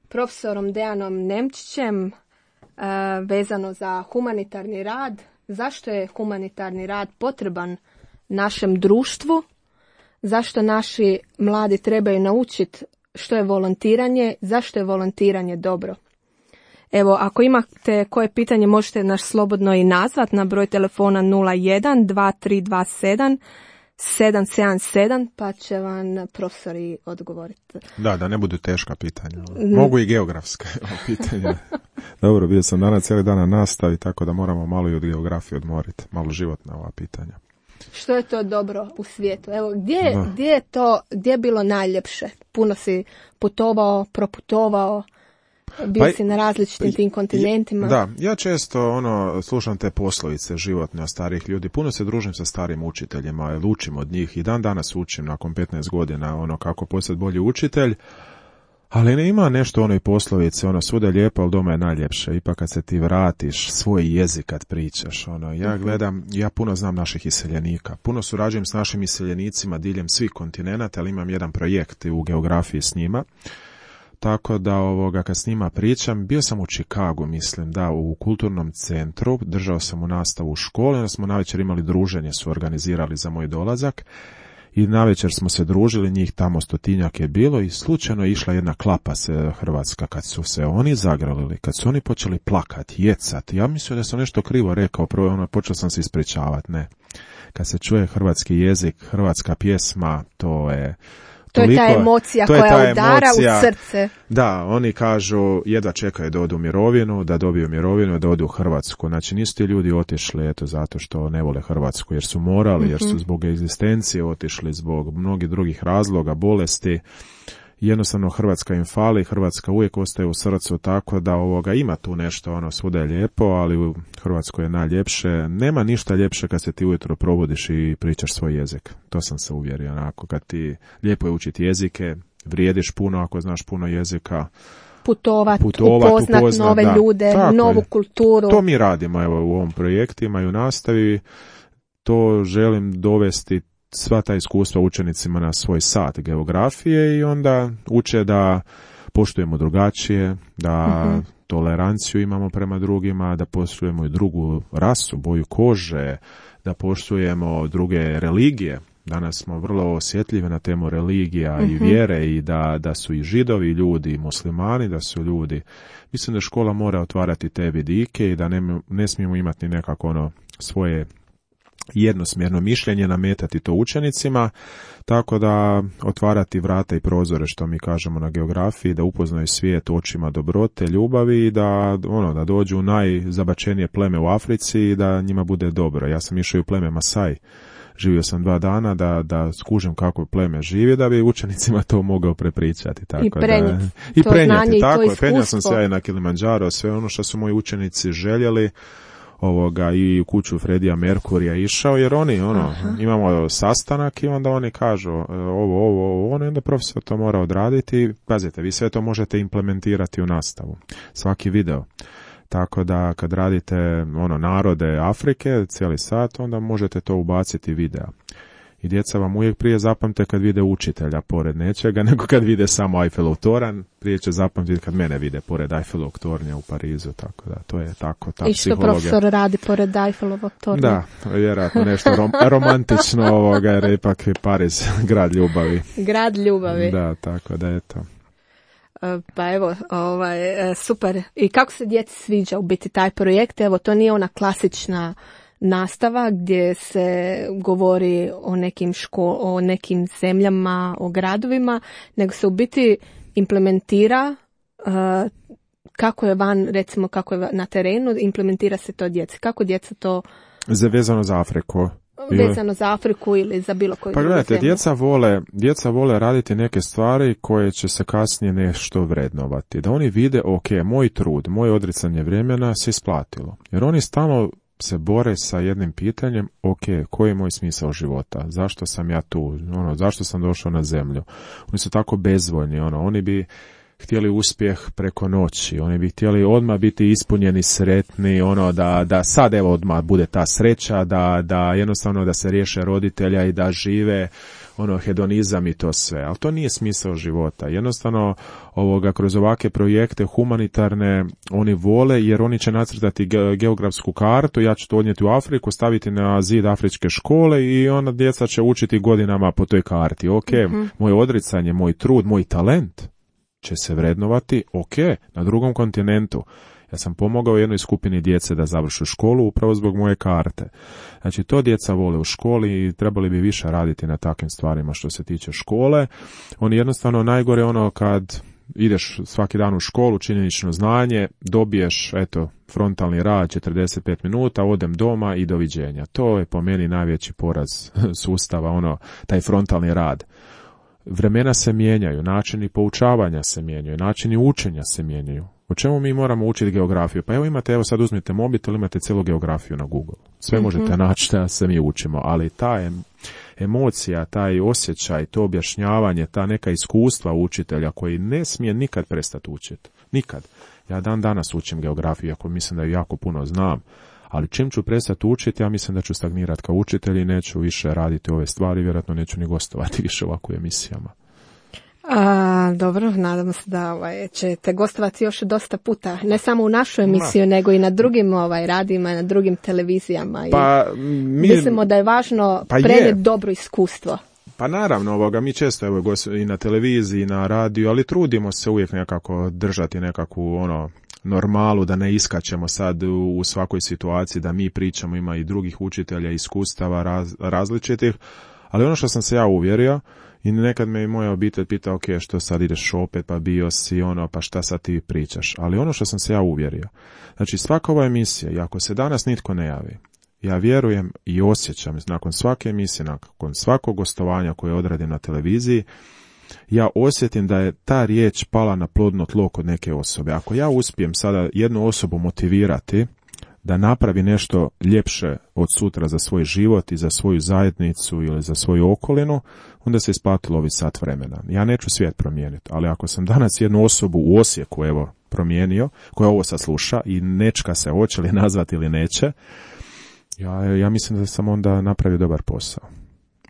profesorom Dejanom Nemčićem e, vezano za humanitarni rad. Zašto je humanitarni rad potreban našem društvu? Zašto naši mladi trebaju naučiti što je volontiranje? Zašto je volontiranje dobro? Evo, ako imate koje pitanje, možete nas slobodno i nazvat na broj telefona nula jedan dva tri dva sedam sedam sedam sedam, pa će vam profesori odgovoriti. Da, da ne budu teška pitanja. Mogu i geografska pitanja. Dobro, bio sam danas cijeli dan na nastavi, tako da moramo malo i od geografije odmoriti, malo životna ova pitanja. Što je to dobro u svijetu? Evo, gdje, gdje je to, gdje je bilo najljepše? Puno si putovao, proputovao, bio pa, si na različitim tim kontinentima. Da, ja često ono slušam te poslovice životne od starih ljudi. Puno se družim sa starim učiteljima, jer učim od njih i dan danas učim nakon petnaest godina ono kako postati bolji učitelj. Ali ne ima nešto onoj poslovice, ono svuda je lijepo, ali doma je najljepše. Ipak kad se ti vratiš, svoj jezik kad pričaš, ono, ja gledam, ja puno znam naših iseljenika. Puno surađujem s našim iseljenicima diljem svih kontinenata, ali imam jedan projekt u geografiji s njima. Tako da ovoga, kad s njima pričam, bio sam u Chicagu, mislim, da, u kulturnom centru, držao sam u nastavu u školi, onda smo navečer imali druženje, su organizirali za moj dolazak. I navečer smo se družili, njih tamo stotinjak je bilo i slučajno je išla jedna klapa se hrvatska kad su se oni zagrlili, kad su oni počeli plakati, jecati. Ja mislio da sam nešto krivo rekao, prvo ono, počeo sam se ispričavati, ne. Kad se čuje hrvatski jezik, hrvatska pjesma, to je, To je ta emocija to je koja ta udara emocija, u srce. Da, oni kažu jedva čekaju da odu u mirovinu, da dobiju mirovinu, da odu u Hrvatsku. Znači nisu ti ljudi otišli eto zato što ne vole Hrvatsku, jer su morali, mm-hmm. jer su zbog egzistencije otišli, zbog mnogih drugih razloga, bolesti. Jednostavno Hrvatska im fali, Hrvatska uvijek ostaje u srcu, tako da ovoga ima tu nešto, ono svuda je lijepo, ali u Hrvatskoj je najljepše. Nema ništa ljepše kad se ti ujutro probudiš i pričaš svoj jezik. To sam se uvjerio, onako, kad ti lijepo je učiti jezike, vrijediš puno ako znaš puno jezika. Putovat, Putovat upoznat upoznat, nove da. ljude, Tako novu je. kulturu. To mi radimo evo, u ovom projektima i u nastavi. To želim dovesti sva ta iskustva učenicima na svoj sat geografije i onda uče da poštujemo drugačije, da uh-huh. toleranciju imamo prema drugima, da poštujemo i drugu rasu, boju kože, da poštujemo druge religije. Danas smo vrlo osjetljivi na temu religija uh-huh. i vjere i da, da su i židovi ljudi i muslimani, da su ljudi. Mislim da škola mora otvarati te vidike i da ne, ne smijemo imati nekako ono svoje jednosmjerno mišljenje, nametati to učenicima, tako da otvarati vrata i prozore, što mi kažemo na geografiji, da upoznaju svijet očima dobrote, ljubavi i da, ono, da dođu u najzabačenije pleme u Africi i da njima bude dobro. Ja sam išao u pleme Masai, živio sam dva dana da, da skužim kako pleme živi, da bi učenicima to mogao prepričati. Tako I prenijeti da, i to prenijeti, znanje tako i to je. Penjao sam iskustvo. se ja i na Kilimanjaro, sve ono što su moji učenici željeli, ovoga i u kuću Fredija Merkurija išao, jer oni, ono, Aha. imamo sastanak i onda oni kažu ovo, ovo, ovo, ono, i onda profesor to mora odraditi. Pazite, vi sve to možete implementirati u nastavu. Svaki video. Tako da kad radite, ono, narode Afrike, cijeli sat, onda možete to ubaciti videa. I djeca vam uvijek prije zapamte kad vide učitelja pored nečega, nego kad vide samo Eiffelov toranj, prije će zapamtiti kad mene vide pored Eiffelovog tornja u Parizu, tako da to je tako, ta I što psihologija. profesor radi pored Eiffelovog tornja? Da, vjerojatno nešto rom, romantično ovoga, jer ipak je Pariz grad ljubavi. Grad ljubavi. Da, tako da eto. Pa evo, ovaj, super. I kako se djeci sviđa u biti taj projekt? Evo, to nije ona klasična nastava gdje se govori o nekim ško- o nekim zemljama, o gradovima, nego se u biti implementira uh, kako je van, recimo kako je na terenu, implementira se to djeci. Kako djeca to... Vezano za Afriku. Vezano za Afriku ili za bilo koju pa drugu gledajte, zemlju. djeca vole, djeca vole raditi neke stvari koje će se kasnije nešto vrednovati. Da oni vide, ok, moj trud, moje odricanje vremena se isplatilo. Jer oni stalno se bore sa jednim pitanjem, ok, koji je moj smisao života? Zašto sam ja tu? Ono, zašto sam došao na zemlju? Oni su tako bezvoljni, ono, oni bi htjeli uspjeh preko noći, oni bi htjeli odmah biti ispunjeni, sretni, ono da, da sad evo odmah bude ta sreća, da, da jednostavno da se riješe roditelja i da žive ono hedonizam i to sve, ali to nije smisao života. Jednostavno ovoga kroz ovakve projekte humanitarne oni vole jer oni će nacrtati ge- geografsku kartu, ja ću to odnijeti u Afriku, staviti na zid afričke škole i onda djeca će učiti godinama po toj karti. Ok, mm-hmm. moje odricanje, moj trud, moj talent će se vrednovati, ok, na drugom kontinentu. Ja sam pomogao jednoj skupini djece da završu školu upravo zbog moje karte. Znači, to djeca vole u školi i trebali bi više raditi na takvim stvarima što se tiče škole. Oni jednostavno najgore ono kad ideš svaki dan u školu, činjenično znanje, dobiješ, eto, frontalni rad četrdeset pet minuta, odem doma i doviđenja. To je po meni najveći poraz sustava, ono, taj frontalni rad. Vremena se mijenjaju, načini poučavanja se mijenjaju, načini učenja se mijenjaju. O čemu mi moramo učiti geografiju? Pa evo imate, evo sad uzmite mobitel, imate cijelu geografiju na Google. Sve mm-hmm. možete naći da se mi učimo, ali ta emocija, taj osjećaj, to objašnjavanje, ta neka iskustva učitelja koji ne smije nikad prestati učiti. Nikad. Ja dan danas učim geografiju, ako mislim da ju jako puno znam. Ali čim ću prestati učiti, ja mislim da ću stagnirati kao učitelj i neću više raditi ove stvari, vjerojatno neću ni gostovati više ovako u emisijama. A, dobro, nadam se da ovaj, ćete gostovati još dosta puta, ne samo u našu emisiju, Ma. nego i na drugim ovaj, radijima, na drugim televizijama. Pa, I mi, mislimo da je važno pa prenijeti je. dobro iskustvo. Pa naravno, ovoga, mi često evo, i na televiziji, i na radiju, ali trudimo se uvijek nekako držati nekakvu ono normalu, da ne iskačemo sad u, u svakoj situaciji, da mi pričamo, ima i drugih učitelja, iskustava raz, različitih, ali ono što sam se ja uvjerio, I nekad me i moja obitelj pita, ok, što sad ideš opet, pa bio si ono, pa šta sad ti pričaš. Ali ono što sam se ja uvjerio, znači svaka ova emisija, i ako se danas nitko ne javi, ja vjerujem i osjećam, nakon svake emisije, nakon svakog gostovanja koje odradim na televiziji, ja osjetim da je ta riječ pala na plodno tlo kod neke osobe. Ako ja uspijem sada jednu osobu motivirati da napravi nešto ljepše od sutra za svoj život i za svoju zajednicu ili za svoju okolinu, onda se isplatilo ovi sat vremena. Ja neću svijet promijeniti, ali ako sam danas jednu osobu u Osijeku, evo, promijenio, koja ovo sasluša i nečka se hoće li nazvati ili neće, ja, ja mislim da sam onda napravio dobar posao.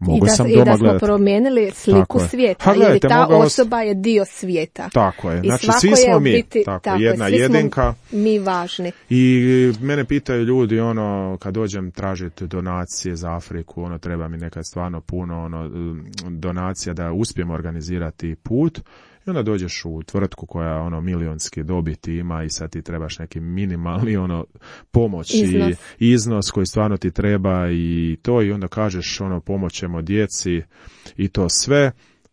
Mogu I da, sam i doma da smo gledati. Promijenili sliku svijeta, ha, gledajte, jer ta mogao... osoba je dio svijeta. Tako je, I znači svako svi je smo u mi, biti, tako, tako jedna svi jedinka. Smo mi važni. I mene pitaju ljudi, ono, kad dođem tražiti donacije za Afriku, ono, treba mi nekad stvarno puno, ono, donacija da uspijem organizirati put. I onda dođeš u tvrtku koja ono milionski dobiti ima i sad ti trebaš neki minimalni ono pomoć iznos. i iznos koji stvarno ti treba i to, i onda kažeš ono pomoćemo djeci i to sve,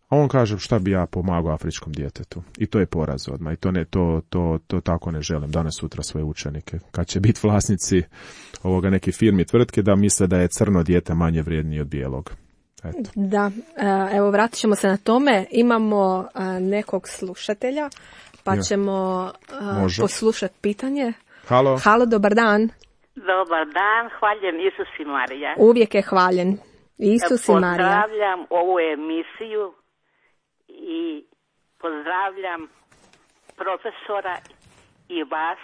a on kaže šta bi ja pomagao afričkom djetetu. I to je poraz odmah. I to ne to to to tako ne želim danas sutra svoje učenike. Kad će biti vlasnici ovoga neki firmi tvrtke da misle da je crno dijete manje vrijednije od bijelog. Eto. Da, evo vratit ćemo se na tome. Imamo nekog slušatelja, pa ja. ćemo poslušati pitanje. Halo. Halo, dobar dan. Dobar dan, hvaljen Isus i Marija. Uvijek je hvaljen Isus i Marija. Pozdravljam ovu emisiju i pozdravljam profesora i vas.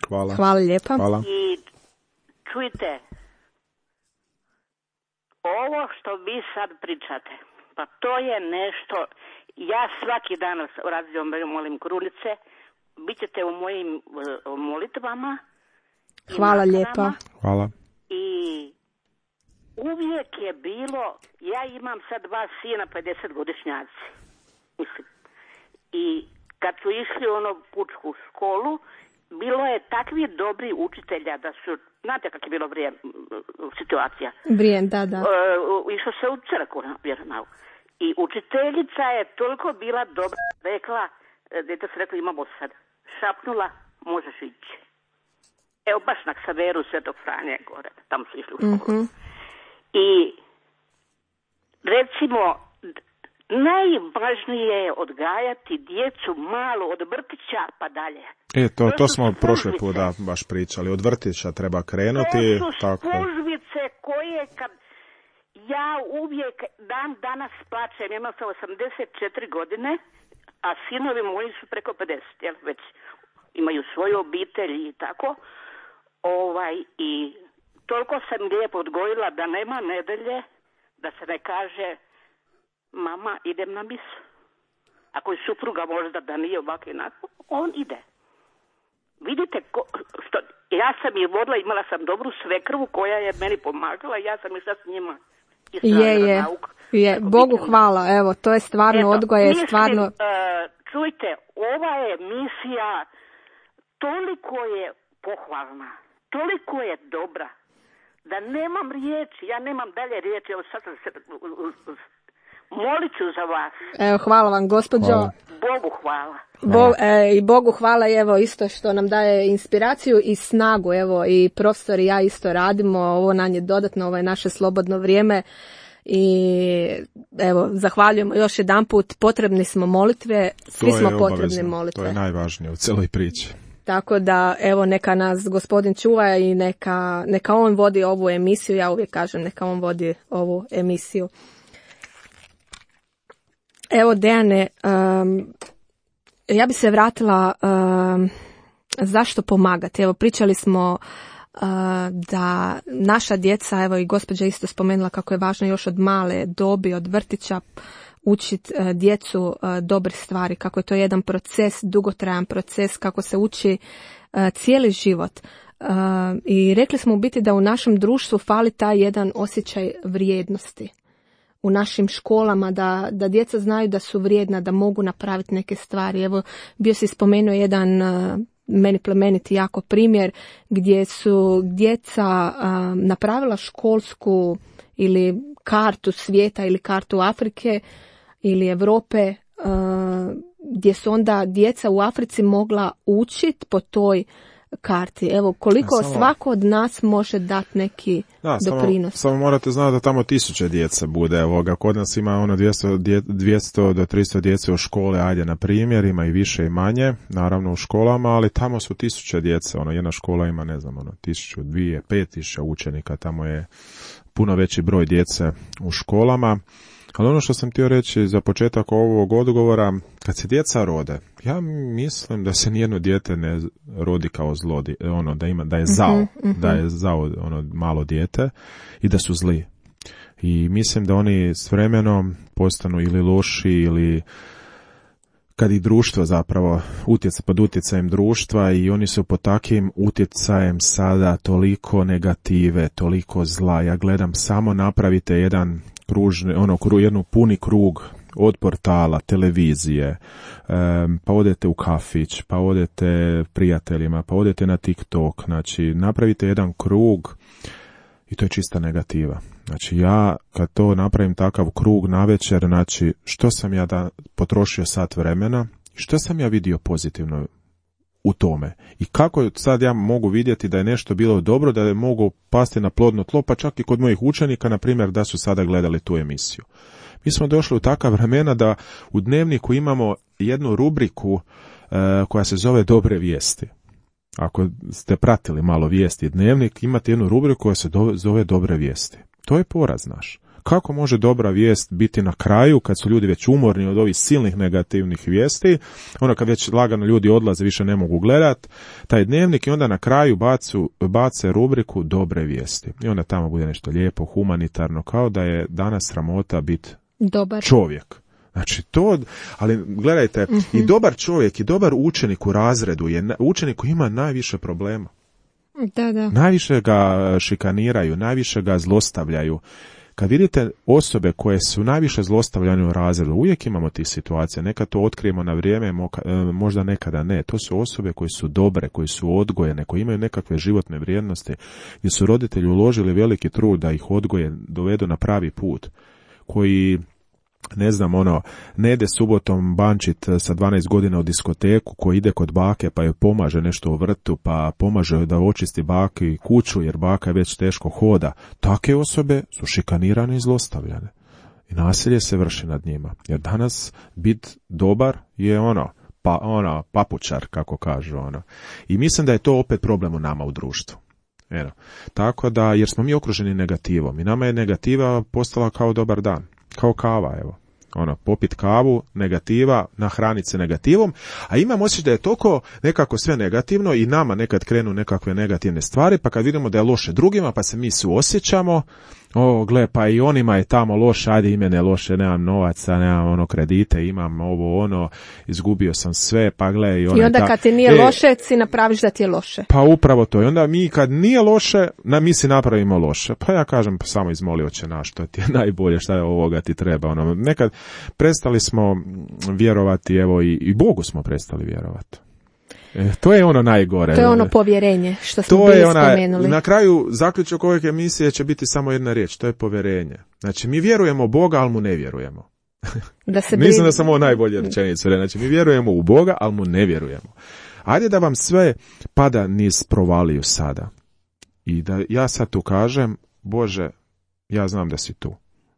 Hvala. Hvala lijepa. Hvala. I čujte, ovo što vi sad pričate, pa to je nešto, ja svaki dan radim, molim krunice, bit ćete u mojim uh, molitvama. Hvala lijepa. Hvala. I uvijek je bilo, ja imam sad dva sina, pedeset godišnjaci, mislim. I kad su išli ono pučku školu, bilo je takvi dobri učitelja da su, znate kak je bilo vrijeme, situacija. Vrijeme, da, da. Uh, išlo se u crkvu na vjeronauk. I učiteljica je toliko bila dobra, rekla, dete se rekla imamo sad, šapnula, možeš ići. Evo baš na Ksaveru Svetog Franje gore, tamo su išli u školu. Mm-hmm. I recimo, najvažnije je odgajati djecu malo od vrtića pa dalje. E, to, to, to smo spužvice. prošli put da, baš pričali. Od vrtića treba krenuti. To su tako. spužvice koje kad ja uvijek dan danas plaćam, imam sam osamdeset četiri godine, a sinovi moji su preko pedeset, jel, već imaju svoju obitelj i tako. Ovaj, i toliko sam lijepo odgojila da nema nedelje, da se ne kaže mama, idem na misu. Ako je supruga možda da nije ovako i onako, on ide. Vidite, ko, što, ja sam je vodila, imala sam dobru svekrvu koja je meni pomagala i ja sam išla s njima. Je, je, nauk, je. Bogu hvala, evo, to je stvarno Eto, odgoj, je mislim, stvarno... Uh, čujte, ova emisija toliko je pohvalna, toliko je dobra, da nemam riječi, ja nemam dalje riječi, evo sad sam se... Molit ću za vas. Evo, hvala vam, gospođo. Hvala. Bogu hvala. Bo, e, I Bogu hvala, evo, isto što nam daje inspiraciju i snagu, evo, i profesor i ja isto radimo, ovo nam je dodatno, ovo je naše slobodno vrijeme i evo, zahvaljujemo još jedanput, potrebni smo molitve, svi smo potrebni molitve. To je najvažnije u cijeloj priči. Tako da, evo, neka nas gospodin čuva i neka, neka on vodi ovu emisiju, ja uvijek kažem, neka on vodi ovu emisiju. Evo, Dejane, um, ja bi se vratila um, zašto pomagati. Evo, pričali smo uh, da naša djeca, evo i gospođa isto spomenula kako je važno još od male dobi, od vrtića učiti uh, djecu uh, dobre stvari, kako je to jedan proces, dugotrajan proces, kako se uči uh, cijeli život. Uh, I rekli smo u biti da u našem društvu fali taj jedan osjećaj vrijednosti. U našim školama, da, da djeca znaju da su vrijedna, da mogu napraviti neke stvari. Evo, bio si spomenuo jedan uh, meni plemeniti jako primjer gdje su djeca uh, napravila školsku ili kartu svijeta ili kartu Afrike ili Europe, gdje su onda djeca u Africi mogla učiti po toj karti. Evo, koliko ja, samo, svako od nas može dati neki da, doprinos. Samo, samo morate znati da tamo tisuće djece bude. Evoga, kod nas ima ono dvjesto, dvjesto do tristo djece u škole, ajde na primjer, ima i više i manje, naravno u školama, ali tamo su tisuće djece. Ono, jedna škola ima, ne znam, ono, tisuću, dvije, pet tisuća učenika, tamo je puno veći broj djece u školama. Ali ono što sam htio reći za početak ovog odgovora, kad se djeca rode, ja mislim da se nijedno dijete ne rodi kao zlo, ono, da ima, da je zao, mm-hmm. da je zao ono malo dijete i da su zli. I mislim da oni s vremenom postanu ili loši ili kad i društvo zapravo utjeca pod utjecajem društva i oni su pod takvim utjecajem sada toliko negative, toliko zla. Ja gledam, samo napravite jedan kružni, ono, jednu puni krug od portala, televizije, um, pa odete u kafić, pa odete prijateljima, pa odete na TikTok, znači napravite jedan krug i to je čista negativa. Znači ja kad to napravim takav krug navečer, znači što sam ja da potrošio sat vremena, što sam ja vidio pozitivno u tome i kako sad ja mogu vidjeti da je nešto bilo dobro, da je mogu pasti na plodno tlo, pa čak i kod mojih učenika, na primjer, da su sada gledali tu emisiju. Mi smo došli u takva vremena da u Dnevniku imamo jednu rubriku e, koja se zove Dobre vijesti. Ako ste pratili malo vijesti Dnevnik, imate jednu rubriku koja se do, zove Dobre vijesti. To je poraz naš. Kako može dobra vijest biti na kraju, kad su ljudi već umorni od ovih silnih negativnih vijesti, ono kad već lagano ljudi odlaze, više ne mogu gledat, taj Dnevnik i onda na kraju bacu, bace rubriku Dobre vijesti. I onda tamo bude nešto lijepo, humanitarno, kao da je danas sramota biti dobar čovjek. Znači to, ali gledajte, mm-hmm. i dobar čovjek i dobar učenik u razredu je učenik koji ima najviše problema. Da, da. Najviše ga šikaniraju, najviše ga zlostavljaju. Kad vidite osobe koje su najviše zlostavljane u razredu, uvijek imamo tih situacija, nekad to otkrijemo na vrijeme, možda nekada ne. To su osobe koje su dobre, koje su odgojene, koje imaju nekakve životne vrijednosti, gdje su roditelji uložili veliki trud da ih odgoje, dovedu na pravi put, koji, ne znam, ono, ne ide subotom bančit sa dvanaest godina u diskoteku, koji ide kod bake pa joj pomaže nešto u vrtu, pa pomaže joj da očisti baki kuću jer baka već teško hoda. Take osobe su šikanirane i zlostavljane. I nasilje se vrši nad njima. Jer danas bit dobar je ono, pa, ono papučar, kako kažu. Ono. I mislim da je to opet problem u nama u društvu. Eno. Tako da, jer smo mi okruženi negativom. I nama je negativa postala kao dobar dan. Kao kava, evo. Ono, popit kavu, negativa, nahraniti se negativom, a imam osjećaj da je toliko nekako sve negativno i nama nekad krenu nekakve negativne stvari, pa kad vidimo da je loše drugima, pa se mi suosjećamo, o, gle, pa i onima je tamo loše, ajde i mene loše, nemam novaca, nemam ono kredite, imam ovo, ono, izgubio sam sve, pa gle i ono. I onda ta, kad ti nije e, loše, si napraviš da ti je loše. Pa upravo to. I onda mi kad nije loše, na, mi si napravimo loše. Pa ja kažem, pa samo izmoli Oče naš, što ti je najbolje, šta je ovoga ti treba. Ono, nekad prestali smo vjerovati, evo i, i Bogu smo prestali vjerovati. E, to je ono najgore. To je ono povjerenje što smo to bili je ona, spomenuli. Na kraju zaključak ove emisije će biti samo jedna riječ, to je povjerenje. Znači mi vjerujemo u Boga, ali mu ne vjerujemo. Da se Mislim da sam ovo najbolje rečenicu. Znači mi vjerujemo u Boga, ali mu ne vjerujemo. Ajde da vam sve pada niz provaliju sada. I da ja sad tu kažem, Bože, ja znam da si tu.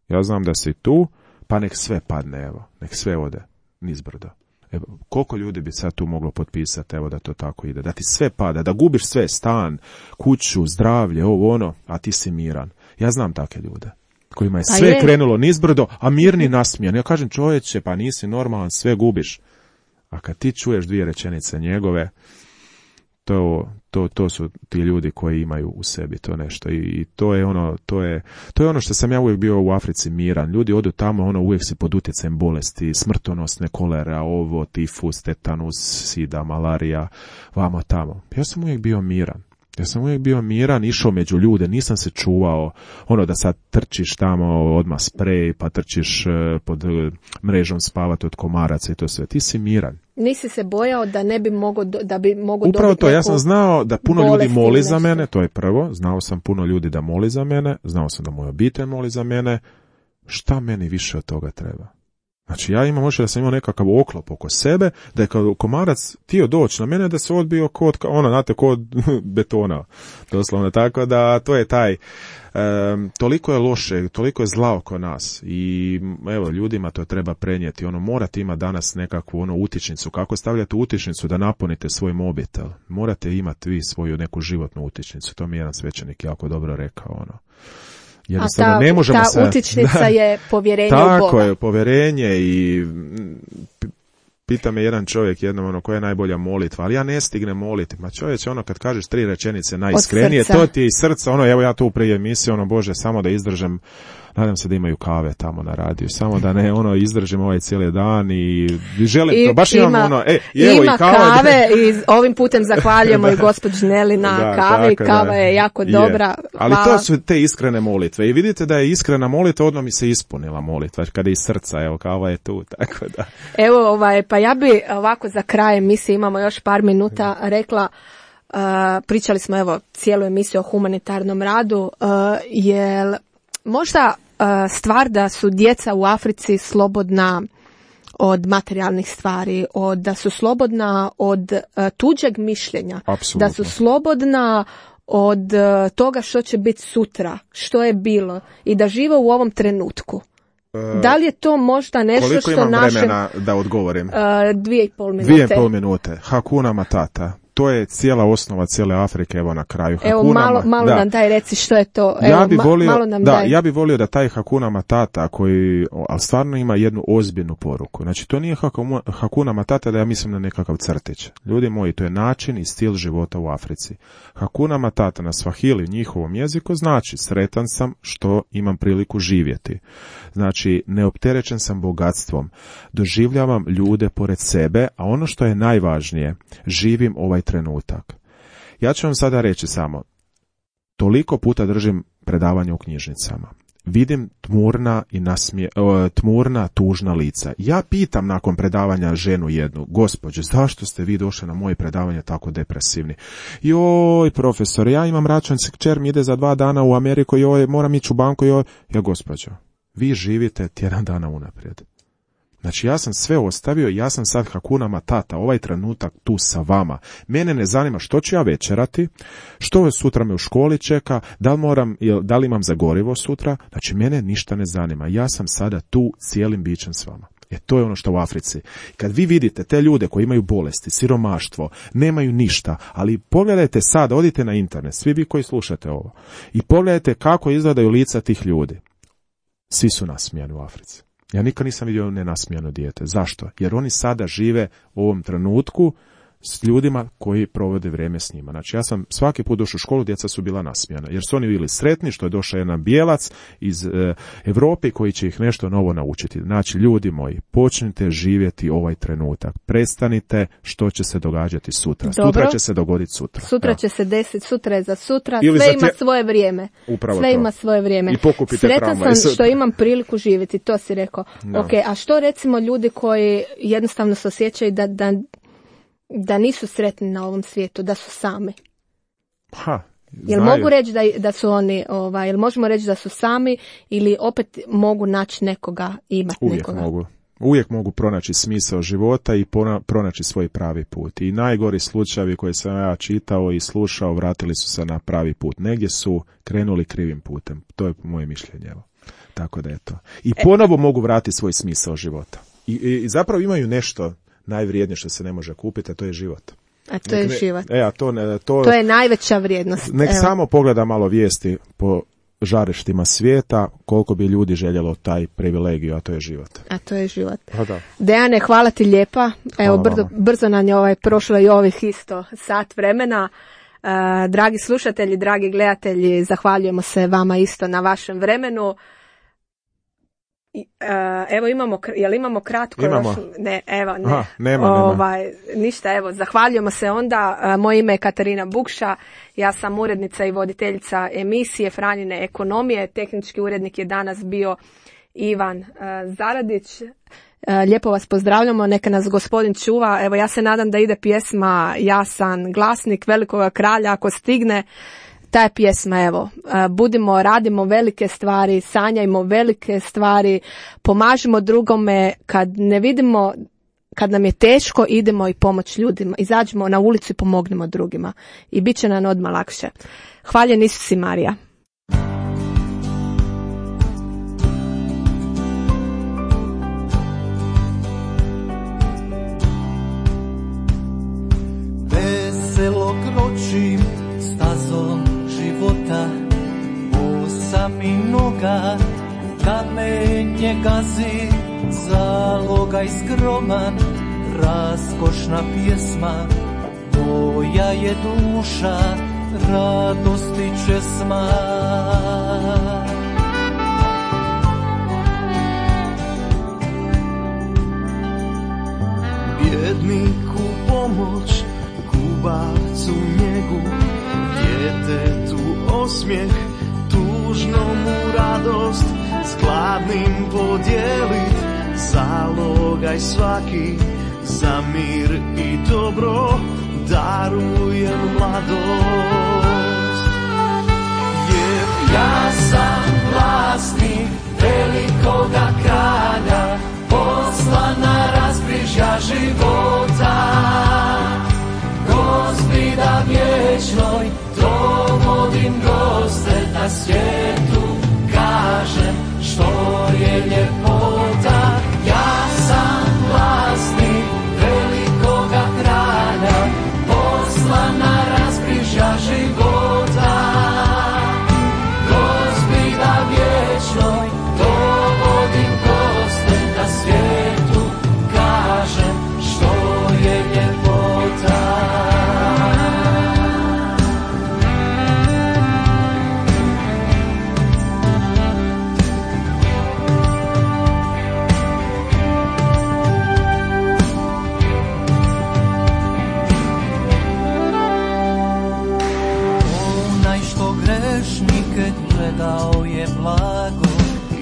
Ja znam da si tu, pa nek sve padne, evo. Nek sve ode nizbrdo. Evo, koliko ljudi bi sad tu moglo potpisati, evo da to tako ide, da ti sve pada, da gubiš sve, stan, kuću, zdravlje, ovo ono, a ti si miran. Ja znam takve ljude kojima je pa sve je. krenulo nizbrdo, a mirni nasmijan. Ja kažem, čovječe, pa nisi normalan, sve gubiš. A kad ti čuješ dvije rečenice njegove, to, to, to su ti ljudi koji imaju u sebi to nešto. I, i to je ono, to je, to je ono što sam ja uvijek bio u Africi miran. Ljudi odu tamo, ono uvijek si pod utjecajem bolesti, smrtonosne kolera, ovo, tifus, tetanus, sida, malarija, vamo tamo. Ja sam uvijek bio miran. Ja sam uvijek bio miran, išao među ljude, nisam se čuvao, ono da sad trčiš tamo, odmah sprej, pa trčiš pod mrežom spavati od komaraca i to sve. Ti si miran. Nisi se bojao da ne bi mogo, da bi mogo Upravo dobiti to, ja neku sam znao da puno ljudi bolest moli ili za nešto. mene, to je prvo, znao sam puno ljudi da moli za mene, znao sam da moja obitelj moli za mene, šta meni više od toga treba? Znači ja imam možda da sam imao nekakav oklop oko sebe, da je kao komarac tio doći na mene da se odbio kod, ono, znate, kod betona, doslovno, tako da to je taj, um, toliko je loše, toliko je zla oko nas i evo, ljudima to treba prenijeti, ono, morate imati danas nekakvu, ono, utičnicu, kako stavljate utičnicu da napunite svoj mobitel, morate imati vi svoju neku životnu utičnicu, to mi je jedan svećenik jako dobro rekao, ono. Jednostavno, A ta, ne možemo ta se, utičnica da, je povjerenje u tako Boga. je, povjerenje i pita me jedan čovjek jednom, ono, koja je najbolja molitva, ali ja ne stignem moliti. Ma čovječe, ono, kad kažeš tri rečenice najiskrenije, to ti je iz srca, ono, evo ja tu prije emisije, ono, Bože, samo da izdržem, nadam se da imaju kave tamo na radiju, samo da ne, ono, izdržim ovaj cijeli dan i želim I, to, baš ima, imam, ono, e, evo ima i kava. kave i ovim putem zahvaljujemo i gospođi Neli na Da, kavi, tako, kava da. je jako Je. dobra. Ali Hvala. to su te iskrene molitve i vidite da je iskrena molitva, odmah mi se ispunila molitva, kada je iz srca, evo, kava je tu, tako da. Evo, ovaj, pa ja bi ovako za kraj emisije, imamo još par minuta, rekla, uh, pričali smo evo cijelu emisiju o humanitarnom radu, uh, jel možda uh, stvar da su djeca u Africi slobodna od materijalnih stvari, od, da su slobodna od uh, tuđeg mišljenja, Apsolutno. da su slobodna od uh, toga što će biti sutra, što je bilo i da žive u ovom trenutku. Da li je to možda nešto Koliko što imam našem... vremena da odgovorim? Uh, dvije i pol minute. Dvije i pol minute. Hakuna Matata. To je cijela osnova cijele Afrike, evo na kraju. Evo, Hakuna malo, Ma- malo da. nam daj reci što je to. Evo, Ja bi ma- volio, malo nam da, daj. ja bi volio da taj Hakuna Matata koji, ali stvarno ima jednu ozbiljnu poruku. Znači, to nije Hakuma- Hakuna Matata da ja mislim na nekakav crtić. Ljudi moji, to je način i stil života u Africi. Hakuna Matata na Swahili, njihovom jeziku, znači sretan sam što imam priliku živjeti. Znači, neopterećen sam bogatstvom. Doživljavam ljude pored sebe, a ono što je najvažnije, živim ovaj trenutak. Ja ću vam sada reći samo, toliko puta držim predavanje u knjižnicama. Vidim tmurna i nasmije, tmurna, tužna lica. Ja pitam nakon predavanja ženu jednu, gospođe, zašto ste vi došli na moje predavanje tako depresivni? Joj, profesor, ja imam računicu, kćer mi ide za dva dana u Ameriku, joj, moram ići u banku, joj. Ja, gospođo, vi živite tjedan dana unaprijed. Znači, ja sam sve ostavio, ja sam sad Hakuna Matata, ovaj trenutak tu sa vama. Mene ne zanima što ću ja večerati, što sutra me u školi čeka, da li, moram, da li imam za gorivo sutra. Znači, mene ništa ne zanima. Ja sam sada tu cijelim bićem s vama. E, to je ono što u Africi. Kad vi vidite te ljude koji imaju bolesti, siromaštvo, nemaju ništa, ali pogledajte sad, odite na internet, svi vi koji slušate ovo, i pogledajte kako izgledaju lica tih ljudi. Svi su nasmijani u Africi. Ja nikad nisam vidio nenasmijano dijete. Zašto? Jer oni sada žive u ovom trenutku s ljudima koji provode vrijeme s njima. Znači, ja sam svaki put došao u školu, djeca su bila nasmijana. Jer su oni bili sretni što je došao jedan bijelac iz e, Europe koji će ih nešto novo naučiti. Znači, ljudi moji, počnite živjeti ovaj trenutak. Prestanite što će se događati sutra. Dobro. Sutra će se dogoditi sutra. Sutra Evo. će se desiti, sutra je za sutra, Ili sve za ima tje- svoje vrijeme. Upravo sve to. ima svoje vrijeme. I pokupite Sretan tramvaj sam sutra. što imam priliku živjeti, to si rekao. Da. Ok, a što recimo ljudi koji jednostavno se osjećaju da, da, da nisu sretni na ovom svijetu, da su sami? Ha, Jel znaju. mogu reći da, da su oni, ovaj, jel možemo reći da su sami ili opet mogu naći nekoga, imati Uvijek nekoga? mogu. Uvijek mogu pronaći smisao života i pona- pronaći svoj pravi put. I najgori slučajevi koje sam ja čitao i slušao vratili su se na pravi put. Negdje su krenuli krivim putem. To je moje mišljenje. Evo. Tako da je to. I ponovo mogu vratiti svoj smisao života. I, i, i zapravo imaju nešto najvrijednije što se ne može kupiti, a to je život. A to je Nek ne- život. E, a to, ne, to, To je najveća vrijednost. nek Evo. samo pogleda malo vijesti po žarištima svijeta, koliko bi ljudi željelo taj privilegiju, a to je život. A to je život. Pa da. Dejane, hvala ti lijepa. Evo, Hvala brzo, vama. brzo nam je ovaj prošlo i ovih isto sat vremena. E, dragi slušatelji, dragi gledatelji, zahvaljujemo se vama isto na vašem vremenu. Evo imamo, jel imamo kratko? Imamo. Još? Ne, evo, ne. Aha, nema, ovaj, nema. Ništa, evo, zahvaljujemo se onda. Moje ime je Katarina Bukša, ja sam urednica i voditeljica emisije Franjine ekonomije. Tehnički urednik je danas bio Ivan uh, Zaradić. Uh, lijepo vas pozdravljamo, neka nas gospodin čuva. Evo, ja se nadam da ide pjesma Jasan glasnik Velikoga kralja, ako stigne. Ta je pjesma, evo, budimo, radimo velike stvari, sanjajmo velike stvari, pomažimo drugome, kad ne vidimo, kad nam je teško, idemo i pomoć ljudima, izađemo na ulicu i pomognemo drugima i bit će nam odmah lakše. Hvaljen Isus i Marija. Veselo kročim stazom života, osam i noga, kamenje gazi, zalogaj skroman, raskošna pjesma, moja je duša, radosti česma. Bjedniku pomoć, kubavcu njegu, djetetu osmijeh, tužnomu radost, s gladnim podijelit, zalogaj svaki, za mir i dobro, darujem mladost. Jer ja sam vlasnik velikoga kralja, poslan na raskrižja života. Gospida vječnoj, domodim goste na svijetu, kažem što je ljepota. Ja sam vlasnik velikoga kralja, poslan na raskrižja života. Gospida vječnoj, domodim goste na svijetu, kažem što je ljepota. Gledao je blago,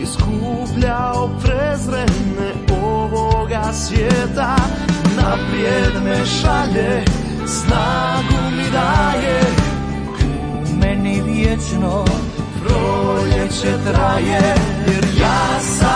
iskupljao prezrene ovoga svijeta, naprijed me šalje, snagu mi daje, u meni vječno proljeće traje, jer ja sam